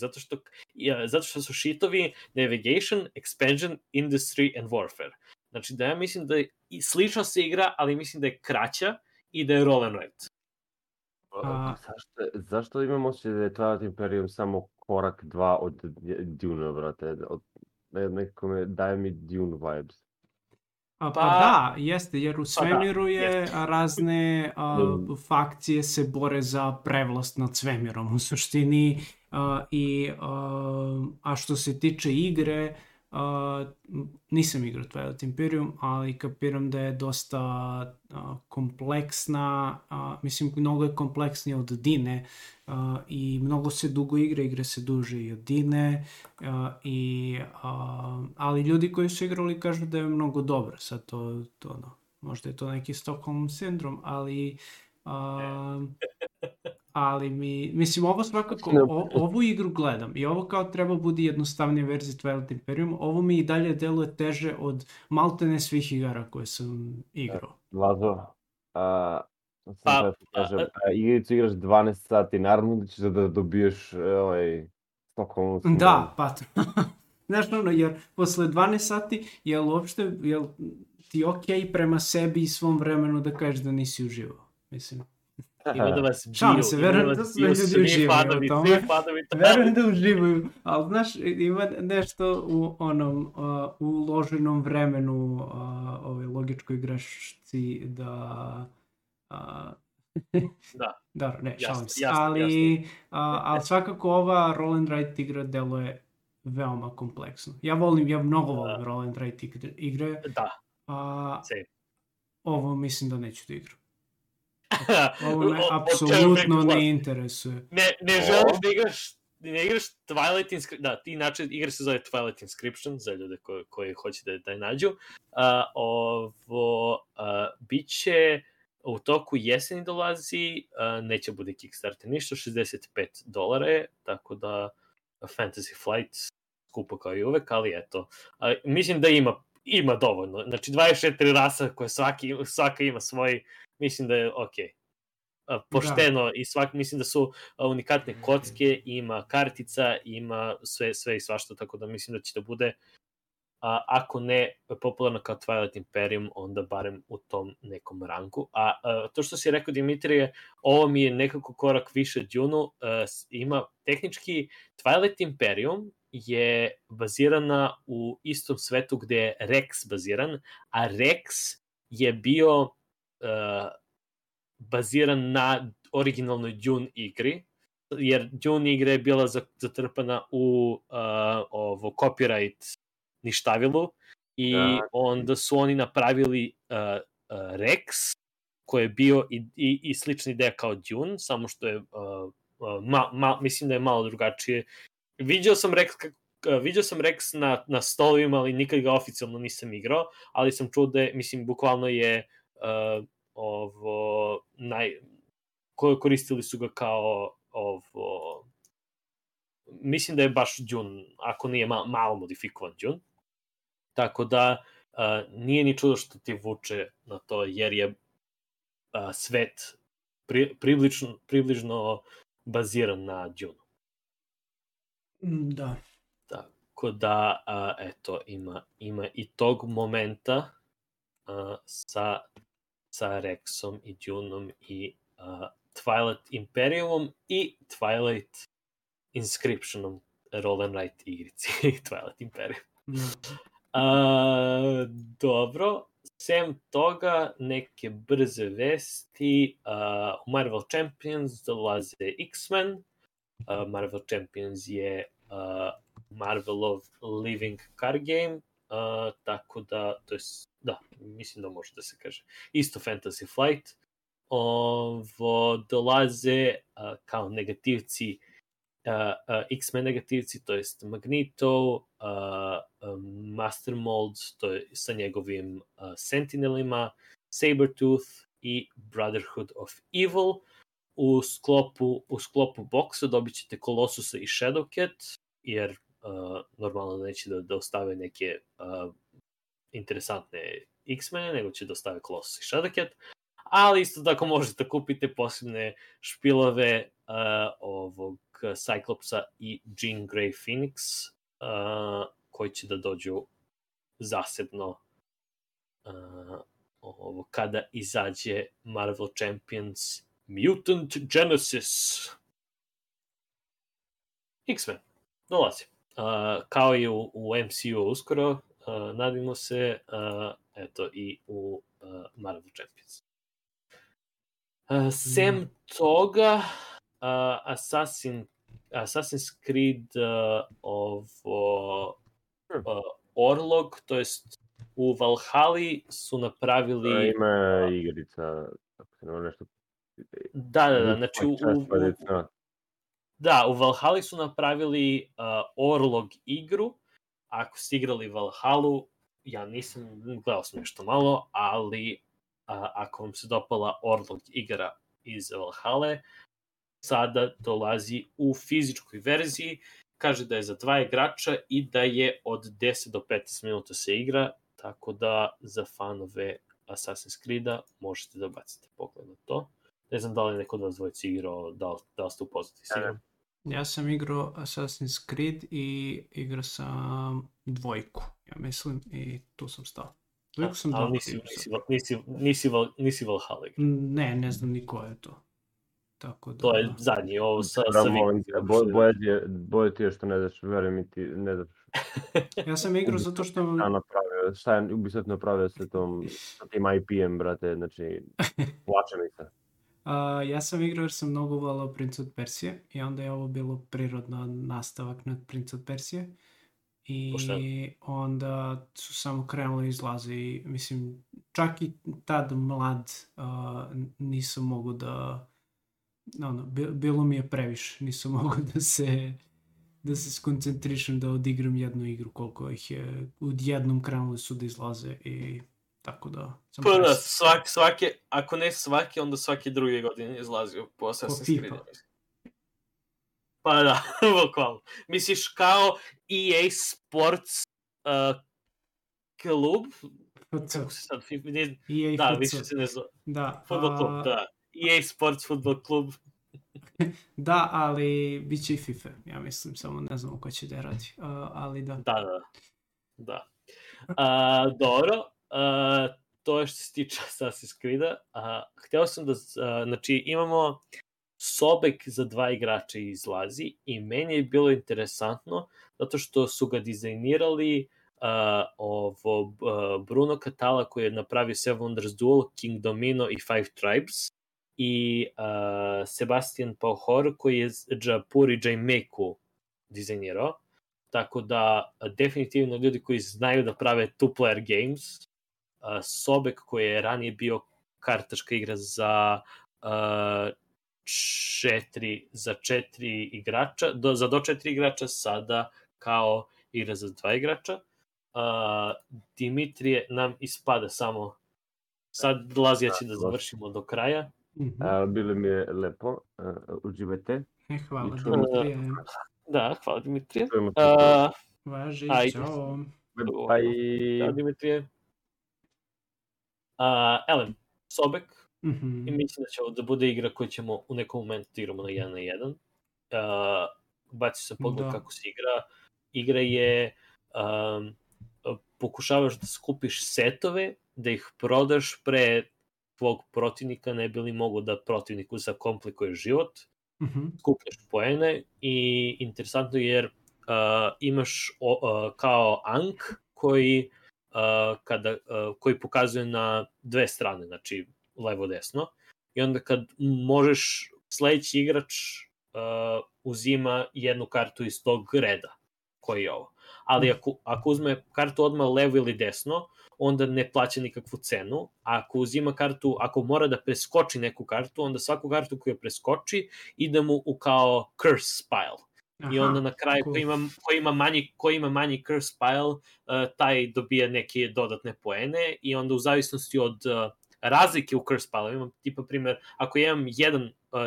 zato što su šitovi Navigation, Expansion, Industry and Warfare. Znači da ja mislim da slično se igra, ali mislim da je kraća i da je roll and write. Zašto imamo osjećaj da je Twilight Imperium samo korak 2 od Dune, brate? Nekako daje mi Dune vibes. Pa da, jeste, jer u svemiru je razne fakcije se bore za prevlast nad svemirom u suštini a što se tiče igre, nisam igrao Twilight Imperium, ali kapiram da je dosta kompleksna, mislim mnogo je kompleksnija od Dine i mnogo se dugo igre se duže i od Dine, ali ljudi koji su igrali kažu da je mnogo dobro, sad to možda je to neki Stockholm sindrom, ali mislim, ovo svakako, ovu igru gledam i ovo kao treba budi jednostavnija verzija Twilight Imperium, ovo mi i dalje deluje teže od maltene svih igara koje sam igrao. Lazo, igricu igraš 12 sati, naravno da ćeš da dobiješ Stockholm sindrom. Da, pa znaš jer posle 12 sati, jel ti okej prema sebi i svom vremenu da kažeš da nisi uživao, mislim. Ima da vas Šalim se, verujem da sve ljudi uživaju u tome. Verujem da uživaju, ali znaš, ima nešto u u uloženom vremenu ove logičkoj grešci da... Da, ne, šalim se. Ali svakako ova roll and write igra deluje veoma kompleksno. Ja mnogo volim roll and write igre. Da, ovo mislim da neću da igram. Ovo me apsolutno ne interesuje. Ne želiš da igraš Twilight Inscription, da, ti inače igra se zove Twilight Inscription, za ljude koji hoće da je nađu. Biće u toku jeseni dolazi, neće bude Kickstarter ništa, $65 je, tako da Fantasy Flight skupo kao i uvek, ali eto, mislim da ima dovoljno, znači 24 rasa koje svaka ima svoj, mislim da je okej. Pošteno i mislim da su unikatne kocke, ima kartica, ima sve i svašta, tako da mislim da će da bude, ako ne popularno kao Twilight Imperium, onda barem u tom nekom rangu. A to što si rekao, Dimitrije, ovo mi je nekako korak više Dune-u, ima tehnički Twilight Imperium je bazirana u istom svetu gde je Rex baziran, a Rex je bio baziran na originalnoj Dune igri, jer Dune igra je bila zatrpana u copyright ništavilu i onda su oni napravili Rex, koji je bio i slična ideja kao Dune, samo što je mislim da je malo drugačije. Viđao sam Rex na stolovima, ali nikad ga oficijalno nisam igrao, ali sam čuo da je, mislim, bukvalno je koristili su ga kao mislim da je baš Dune, ako nije malo modifikovan Dune. Tako da nije ni čudo što ti vuče na to, jer je svet približno baziran na Dune. Da. Tako da, eto, ima i tog momenta sa Rexom i Duneom i Twilight Imperiumom i Twilight Inscriptionom, roll and write igrici Twilight Imperium. Dobro, sem toga, neke brze vesti, u Marvel Champions dolaze X-Men. Marvel Champions je Marvelov living card game, tako da, to je, da, mislim da može da se kaže, isto Fantasy Flight. Dolaze kao negativci, X-Men negativci, to jest Magneto, Master Mold, to je sa njegovim Sentinelima, Sabretooth i Brotherhood of Evil. U sklopu boksa dobit ćete Colossusa i Shadowcat, jer normalno neće da ostave neke interesantne X-mene, nego će da ostave Colossus i Shadowcat, ali isto tako možete kupiti posebne špilove ovog Cyclopsa i Jean Grey Phoenix, koji će da dođu zasebno kada izađe Marvel Champions Mutant Genesis. X-Men dolazi. Kao i u MCU uskoro, nadimo se, eto i u Marvel Champions. Sem toga, Assassin's Creed Orlog, to jest u Valhalli su napravili... Ima igrica, ako se nema nešto... Da, znači u Valhalli su napravili Orlog igru. Ako ste igrali Valhallu, ja nisam, gledao sam nešto malo, ali ako vam se dopala Orlog igra iz Valhalle, sada dolazi u fizičkoj verziji, kaže da je za 2 igrača i da je od 10 do 15 minuta se igra, tako da za fanove Assassin's Creed-a možete da bacite pogled na to. Ne znam da li neko od vas dvojica igrao, da li ste upoznati s igrom. Ja sam igrao Assassin's Creed i igrao sam 2, ja mislim, i tu sam stao. 2 sam ali nisi Valhalla igra. Ne znam ni ko je to. Tako da... To je zadnji, ovo sa Boje ti je što ne znaš, verujem mi ti, ne znaš. Ja sam igrao zato što... Šta je Ubisoft napravio sa tim IP-em, brate, znači, plače mi se. Ja sam igrao jer sam mnogo volao Prince od Persije i onda je ovo bilo prirodno nastavak na Prince od Persije. I onda su samo krenuli izlaze i mislim, čak i tad mlad nisam mogu da... bilo mi je previše, nisam mogu da se skoncentrišem da odigram jednu igru koliko ih je odjednom krenuli su da izlaze i tako da... svake, ako ne svake, onda svake druge godine izlazio po Assassin's Creed. Pa da, bukvalno. Misliš kao EA Sports klub? Kako se sad... Da, više se ne zove. Football klub, da. EA Sports Football klub. Da, ali bit će i FIFA, ja mislim, samo ne znamo ko će da radi, ali da. Da. Dobro, to je što se tiče Assassin's Creed-a. Hteo sam da, znači, imamo Sobek za 2 igrača izlazi i meni je bilo interesantno zato što su ga dizajnirali Bruno Catala koji je napravio Seven Wonders Duel, King Domino i Five Tribes i Sebastian Pahor koji je Japur i Jaimeku dizajnirao. Tako da definitivno ljudi koji znaju da prave two-player games, Sobek koji je ranije bio kartaška igra za 4 igrača, za do 4 igrača, sada kao igra za 2 igrača. Dimitrije nam ispada samo, sad dolazi, ja ću da završimo do kraja. Bilo mi je lepo, uživajte. Hvala Dimitrije. Da, hvala Dimitrije. Važi, čao. Bye. Ćao Dimitrije. Ellen, Sobek, Mm-hmm. I mislim da će ovo da bude igra koju ćemo u nekom momentu igramo na 1 na 1. Baci se pogled kako se igra. Igra je pokušavaš da skupiš setove, da ih prodaš pre tvog protivnika, ne bi li mogo da protivniku zakomplikuje život. Skupljaš poene i interesantno jer imaš kao ank koji koji pokazuje na dve strane, znači levo-desno, i onda kad možeš, sledeći igrač uzima jednu kartu iz tog reda, koji je ovo. Ali ako uzme kartu odmah levo ili desno, onda ne plaća nikakvu cenu. Ako uzima kartu, ako mora da preskoči neku kartu, onda svaku kartu koju preskoči ide mu u kao curse pile. I onda na kraju ko ima manji curse pile, taj dobija neke dodatne poene i onda u zavisnosti od razlike u curse pile, imam tipa primjer, ako imam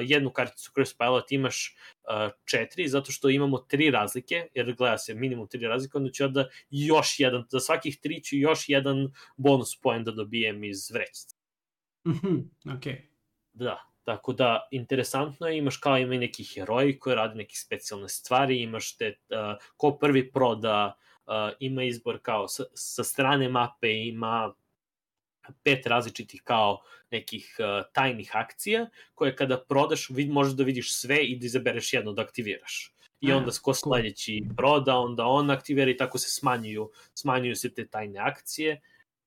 jednu karticu curse pile, ti imaš 4, zato što imamo 3 razlike, jer gleda se minimum 3 razlike, onda ću ja da još jedan, za svakih 3 ću još jedan bonus poen da dobijem iz vrećice. Okay. Da. Tako da, interesantno je, ima i neki heroji koji rade neke specijalne stvari, imaš ko prvi proda, ima izbor kao sa strane mape, ima 5 različitih kao nekih tajnih akcija, koje kada prodaš možeš da vidiš sve i da izabereš jedno da aktiviraš. I onda ko sledeći proda, onda on aktivira i tako se smanjuju se te tajne akcije.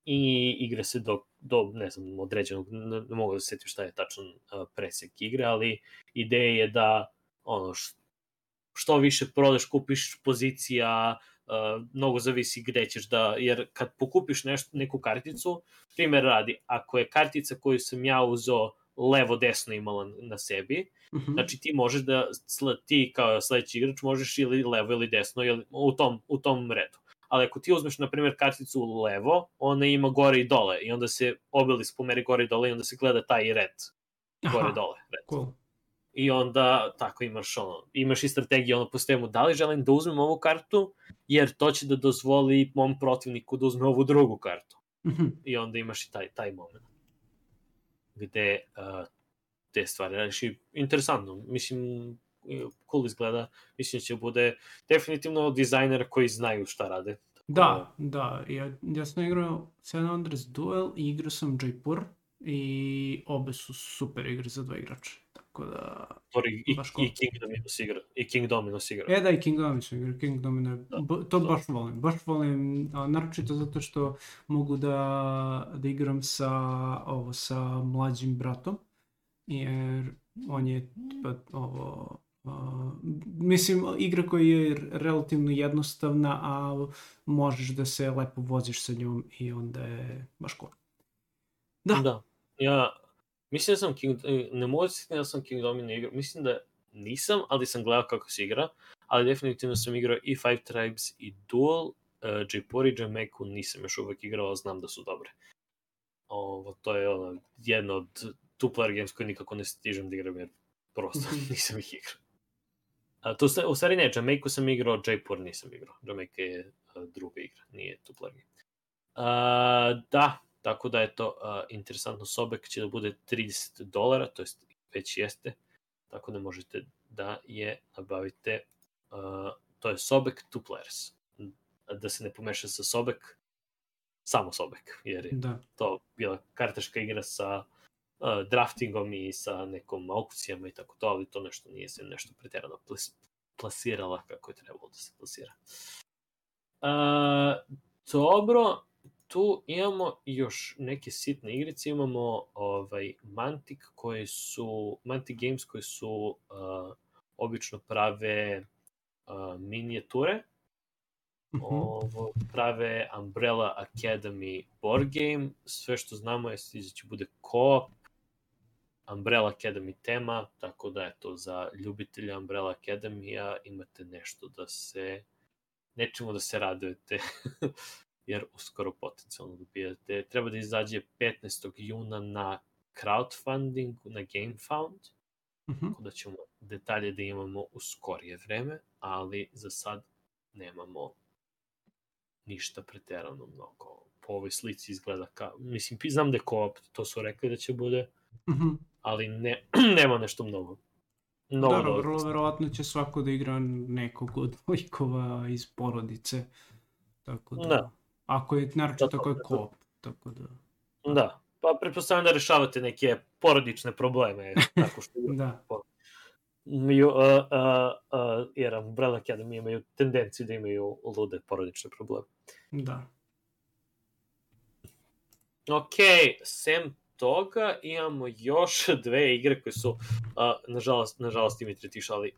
I igra se do ne znam, određenog, ne mogu da se setim šta je tačan presek igre, ali ideja je da što više prodaš, kupiš pozicija, mnogo zavisi gde ćeš da, jer kad pokupiš neku karticu, primjer radi, ako je kartica koju sam ja uzeo levo-desno imala na sebi, znači ti možeš da, ti kao sledeći igrač možeš ili levo ili desno ili u tom redu. Ali ako ti uzmeš, na primjer, karticu levo, ona ima gore i dole i onda se obelisk pomeri gore i dole i onda se gleda taj red gore-dole. Cool. I onda tako imaš i strategiju po sistemu, da li želim da uzmem ovu kartu, jer to će da dozvoli mom protivniku da uzme ovu drugu kartu. I onda imaš i taj moment gde te stvari radiš. I interesantno, mislim, cool izgleda, mislim da će bude definitivno dizajnera koji znaju šta rade. Da. Ja sam igrao San Andreas Duel i igrao sam Jaipur i obe su super igre za 2 igrača. Tako da... I King Dominos igra. Da, i King Dominos igra. King Dominos, to baš volim, naročito zato što mogu da igram sa mlađim bratom, jer on je mislim, igra koja je relativno jednostavna, a možeš da se lepo voziš sa njom i onda je baš cool. Da. Ja mislim da sam ne mogu da sam King Domino igrao, mislim da nisam, ali sam gledao kako se igra, ali definitivno sam igrao i Five Tribes i Duel, Jaipur i Jamaiku nisam još uvek igrao, ali znam da su dobre. To je jedno od two-player games koje nikako ne stižem da igram, jer prosto nisam ih igrao. U stvari ne, Jamaiku sam igrao, Jaipur nisam igrao. Jamaica je druga igra, nije two-player game. Da, tako da je to interesantno. Sobek će da bude $30, to jest već jeste, tako da možete da je nabavite. To je Sobek Two Players. Da se ne pomeša sa Sobek, samo Sobek, jer je to bila kartaška igra sa draftingom i sa nekom aukcijama i tako to, ali to nešto nije se nešto preterano plasirala kako je trebalo da se plasira. Dobro, tu imamo još neke sitne igrice, imamo Mantic Games koji su obično prave minijature, prave Umbrella Academy board game, sve što znamo je da će bude co-op, Umbrella Academy tema, tako da je to za ljubitelja Umbrella Academy-a, imate nečemu da se radujete, jer uskoro potencijalno dobijate. Treba da izađe 15. juna na crowdfunding, na GameFound, tako da ćemo detalje da imamo u skorije vreme, ali za sad nemamo ništa preterano mnogo. Po ovoj slici izgleda kao, mislim, znam da je co-op, to su rekli da će bude, ali nema nešto mnogo. Da, vrlo verovatno će svako da igra nekog od likova iz porodice. Tako da. Ako je, naročito tako je co-op. Tako da. Da, pa pretpostavljam da rešavate neke porodične probleme. Tako što da. Jer Umbrella Academy imaju tendenciju da imaju lude porodične probleme. Da. Ok, sem toga imamo još 2 igre koje su, nažalost Dimitri ti šali,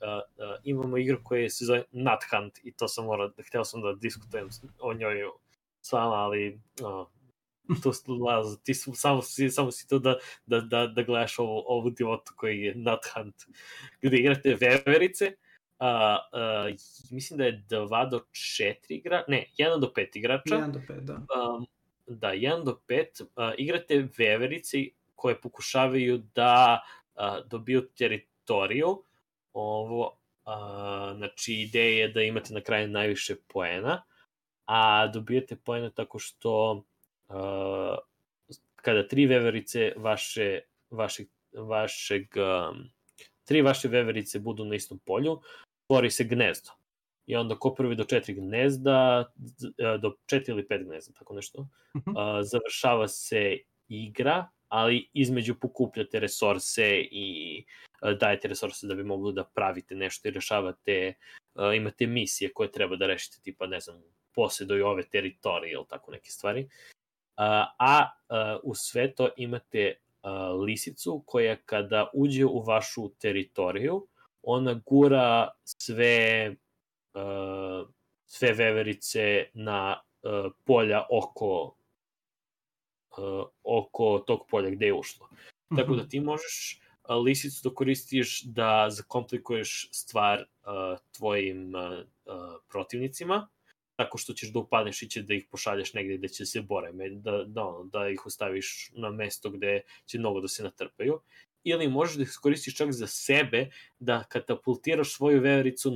imamo igru koja se zove Nut Hunt i to sam hteo sam da diskutujem o njoj s vama, ali ti samo si to da gledaš ovu divotu koji je Nut Hunt, gde igrate veverice, mislim da je 2 do 4 igra, ne, 1 do 5 igrača. 1 do 5, da. Da, 1 do 5, igrate veverice koje pokušavaju da dobiju teritoriju. Znači, ideja je da imate na kraju najviše poena, a dobijete poena tako što kada 3 veverice tri vaše veverice budu na istom polju, stvori se gnezdo. I onda ko prvi do 4 gnezda, do 4 ili 5 gnezda, tako nešto, završava se igra, ali između pokupljate resurse i dajete resurse da bi mogli da pravite nešto i rešavate, imate misije koje treba da rešite, tipa, ne znam, posjeduju ove teritorije ili tako neke stvari. U sve to imate lisicu koja kada uđe u vašu teritoriju, ona gura sve veverice na polja oko tog polja gde je ušlo. Tako da ti možeš lisicu da koristiš da zakomplikuješ stvar tvojim protivnicima, tako što ćeš da upadneš i će da ih pošalješ negde gde će se bore, da ih ostaviš na mesto gde će mnogo da se natrpaju. Ili možeš da ih koristiš čak za sebe, da katapultiraš svoju vevericu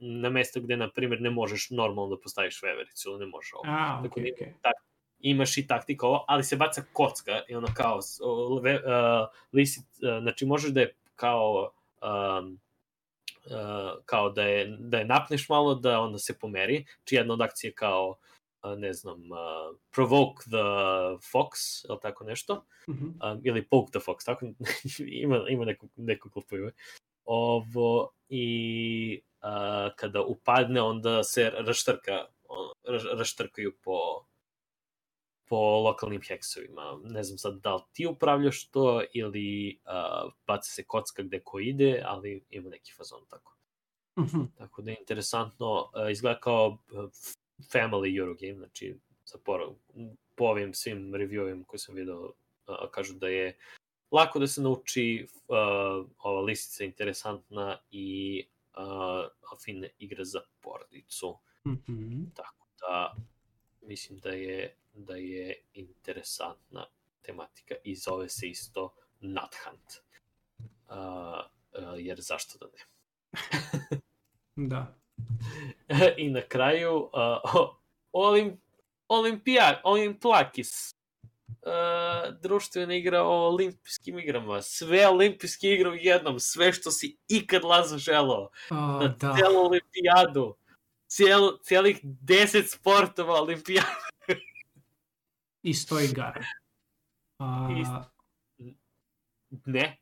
na mesto gde, na primjer, ne možeš normalno da postaviš vevericu, ili ne možeš ovo. Imaš i taktika ovo, ali se baca kocka i ono kao znači možeš da je kao da je napneš malo, da onda se pomeri, či jedna od akcije kao ne znam, provoke the fox, ili tako nešto, ili poke the fox, tako, ima neko glupo ime. I kada upadne, onda se raštrkaju po lokalnim heksovima. Ne znam sad da li ti upravljaš to, ili baca se kocka gde ko ide, ali ima neki fazon tako. Tako da je interesantno, izgleda kao family Eurogame, znači po ovim svim reviewima koje sam vidio, kažu da je lako da se nauči, ova lisica je interesantna i fine igre za porodicu. Tako da mislim da je interesantna tematika i zove se isto Nut Hunt. Jer zašto da ne? Da. I na kraju Olimplakis, društvena igra o olimpijskim igrama, sve olimpijske igre u jednom, sve što si ikad Lazo želeo, na celu olimpijadu, cijelih 10 sportova olimpijade. I 100 igara. Ne,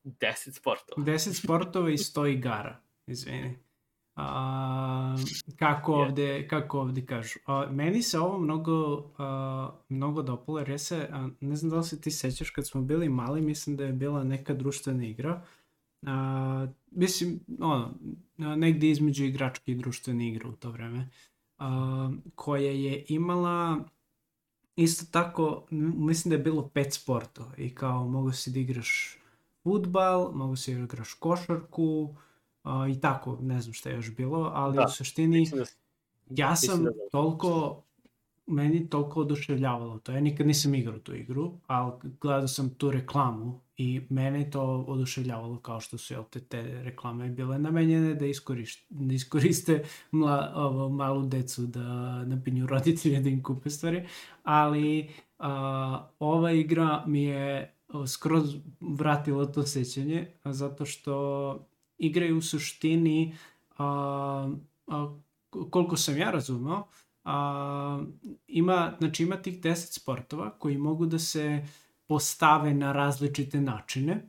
10 sportova. 10 sportova i 100 igara, izvini. Kako ovde kažu. Meni se ovo mnogo dopalo, jer ne znam da li se ti sećaš, kad smo bili mali, mislim da je bila neka društvena igra. Mislim, negdje između igračke i društvene igre u to vreme, koja je imala isto tako, mislim da je bilo 5 sportova i kao mogu si da igraš fudbal, mogu si da igraš košarku, i tako, ne znam šta je još bilo, ali u suštini ja sam meni toliko oduševljavalo to. Ja nikad nisam igrao tu igru, ali gledao sam tu reklamu i mene to oduševljavalo, kao što su te reklame bile namenjene da iskoriste malu decu, da napinju roditelje da im kupe stvari, ali ova igra mi je skroz vratilo to sećanje, zato što igre u suštini, koliko sam ja razumeo, ima tih 10 sportova koji mogu da se postave na različite načine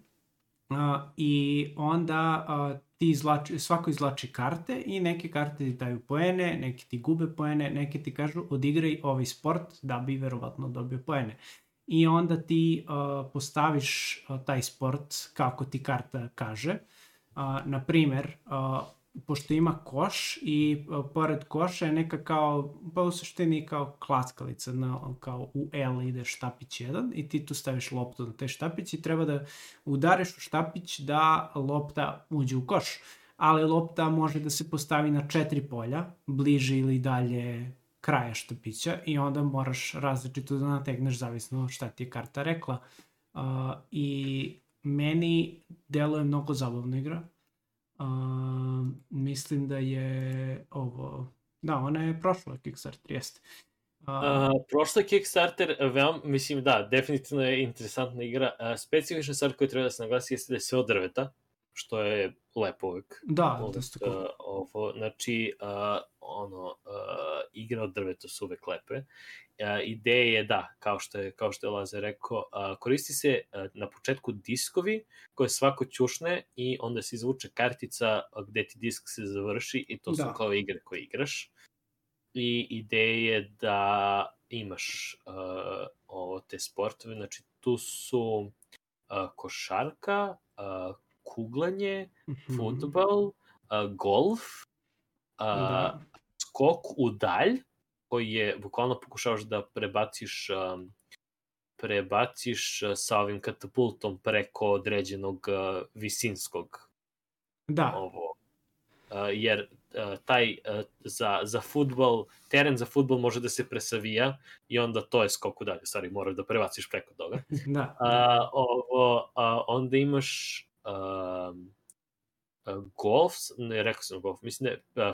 i onda svako izvlači karte i neke karte ti daju poene, neke ti gube poene, neke ti kažu odigraj ovaj sport da bi verovatno dobio poene. I onda ti postaviš taj sport kako ti karta kaže. Na primer, pošto ima koš i pored koša je neka kao, pa u suštini kao klackalica, kao u L ide štapić jedan i ti tu staviš loptu na taj štapić i treba da udariš u štapić da lopta uđe u koš. Ali lopta može da se postavi na 4 polja, bliže ili dalje kraja štapića i onda moraš različito da nategneš zavisno šta ti je karta rekla. I meni deluje mnogo zabavna igra. Mislim da je ovo... Da, ona je prošla Kickstarter, jeste. Prošla Kickstarter, mislim da, definitivno je interesantna igra. Specifična stvar koja treba da se naglasi jeste da je sve od drveta, što je lepo uvijek. Da, dosta cool. Znači, igre od drveta su uvijek lepe. Ideja je da, kao što je Lazar rekao, koristi se na početku diskovi koje svako ćušne i onda se izvuče kartica gde ti disk se završi i to su kao igre koje igraš. I ideja je da imaš te sportove, znači tu su košarka, kuglanje, fudbal, golf, skok u dalj, koji je, bukvalno pokušavaš da prebaciš sa ovim katapultom preko određenog visinskog. Da. Jer taj za fudbal, teren za fudbal može da se presavija i onda to je skok u dalje, stvari moraš da prebaciš preko toga. Da. Onda imaš golf, ne rekao sam golf, mislim da je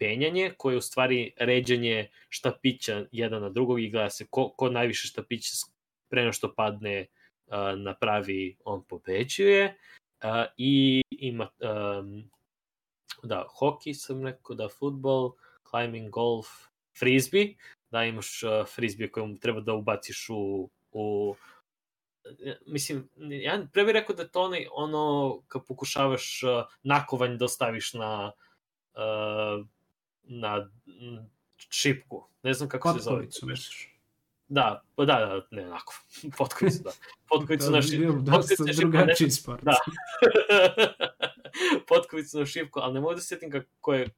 penjanje, koje je u stvari ređanje štapića jedan na drugog i gleda se ko najviše štapića pre nego što padne na pravi, on pobeđuje. I ima hockey sam rekao, fudbal, climbing, golf, frisbee, da imaš frisbee kojem treba da ubaciš u mislim, ja pre bih rekao da je to ono kad pokušavaš nakovanj da ostaviš na šipku. Ne znam kako se zove. Potkovicu, misliš? Da, ne, onako. Potkovicu, da. Potkovicu na šipku. Dosta drugačiji sport. Da. Potkovicu na šipku, ali ne mogu da se sjetim kako je...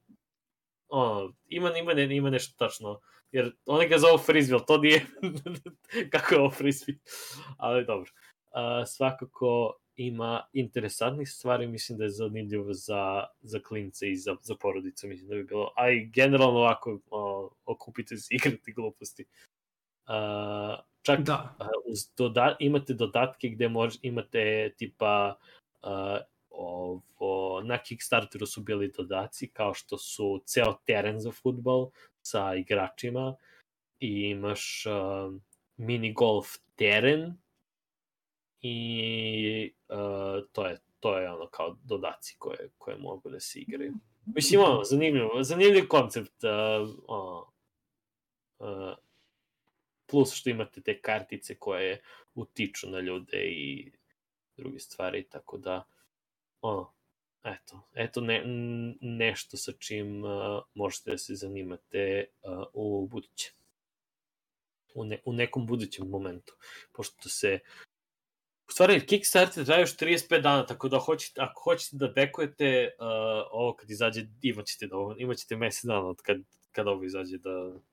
Ima nešto tačno. Jer oni ga zovu frisbee, ali to nije... kako je ovo frisbee? Ali dobro. Svakako ima interesantnih stvari, mislim da je zanimljivo za klince i za porodicu, mislim da bi bilo, a i generalno ovako okupite se igrati gluposti. Čak imate dodatke gde imate tipa na Kickstarteru su bili dodaci kao što su ceo teren za fudbal sa igračima i imaš mini golf teren i to je ono kao dodaci koje mogu da se igraju. Mislim, zanimljiv koncept. Plus što imate te kartice koje utiču na ljude i druge stvari, tako da eto nešto sa čim možete da se zanimate u buduće. U nekom budućem momentu. Pošto se u stvari, Kickstarter traje još 35 dana, tako da ako hoćete da bekujete ovo kad izađe, imat ćete mesec dana od kad ovo izađe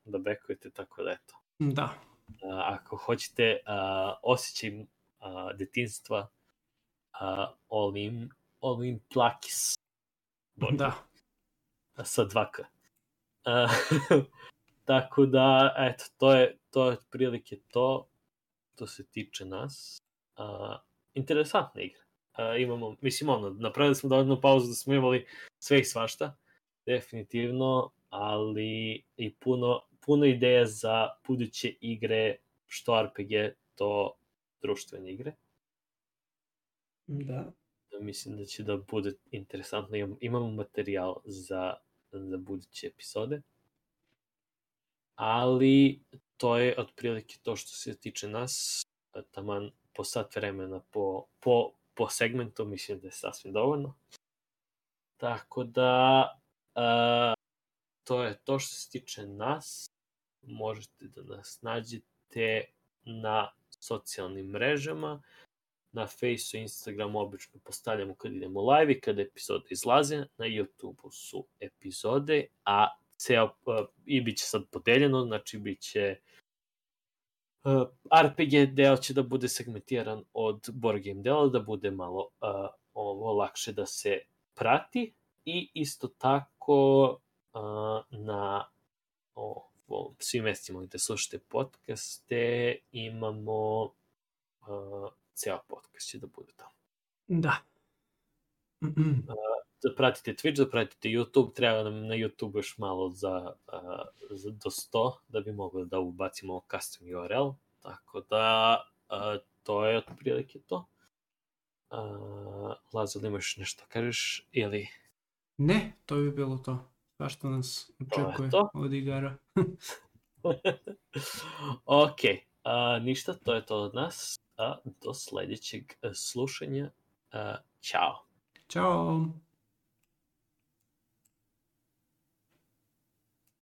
da bekujete, tako da eto. Da. Ako hoćete osjećaj detinjstva, all in plakis. Da. Sa 2K. Tako da, eto, to je otprilike to što se tiče nas. Interesantna igra. Imamo, mislim, napravili smo dovoljnu pauzu da smo imali sve i svašta, definitivno, ali i puno ideja za buduće igre, što RPG, to društvene igre. Da. Mislim da će da bude interesantno. Imamo materijal za buduće epizode. Ali to je otprilike to što se tiče nas. Taman po sat vremena po segmentu mislim da je sasvim dovoljno. Tako da to je to što se tiče nas. Možete da nas nađete na socijalnim mrežama. Na Faceu i Instagramu obično postavljamo kad idemo live i kada epizode izlaze. Na YouTubeu su epizode, a i bit će sad podeljeno, znači bit će RPG deo će da bude segmentiran od board game dela, da bude malo ovo lakše da se prati i isto tako na svim mestima gde slušate podcaste imamo ceo podcast će da bude tamo. Da. Da pratite Twitch, da pratite YouTube, treba nam na YouTube još malo do 100 da bi mogli da ubacimo custom URL, tako da to je otprilike to. Lazo, da imaš nešto kažeš ili... Ne, to bi bilo to. Sva što nas očekuje od igara. Ok, ništa, to je to od nas. Do sledećeg slušanja. Ćao. Ćao.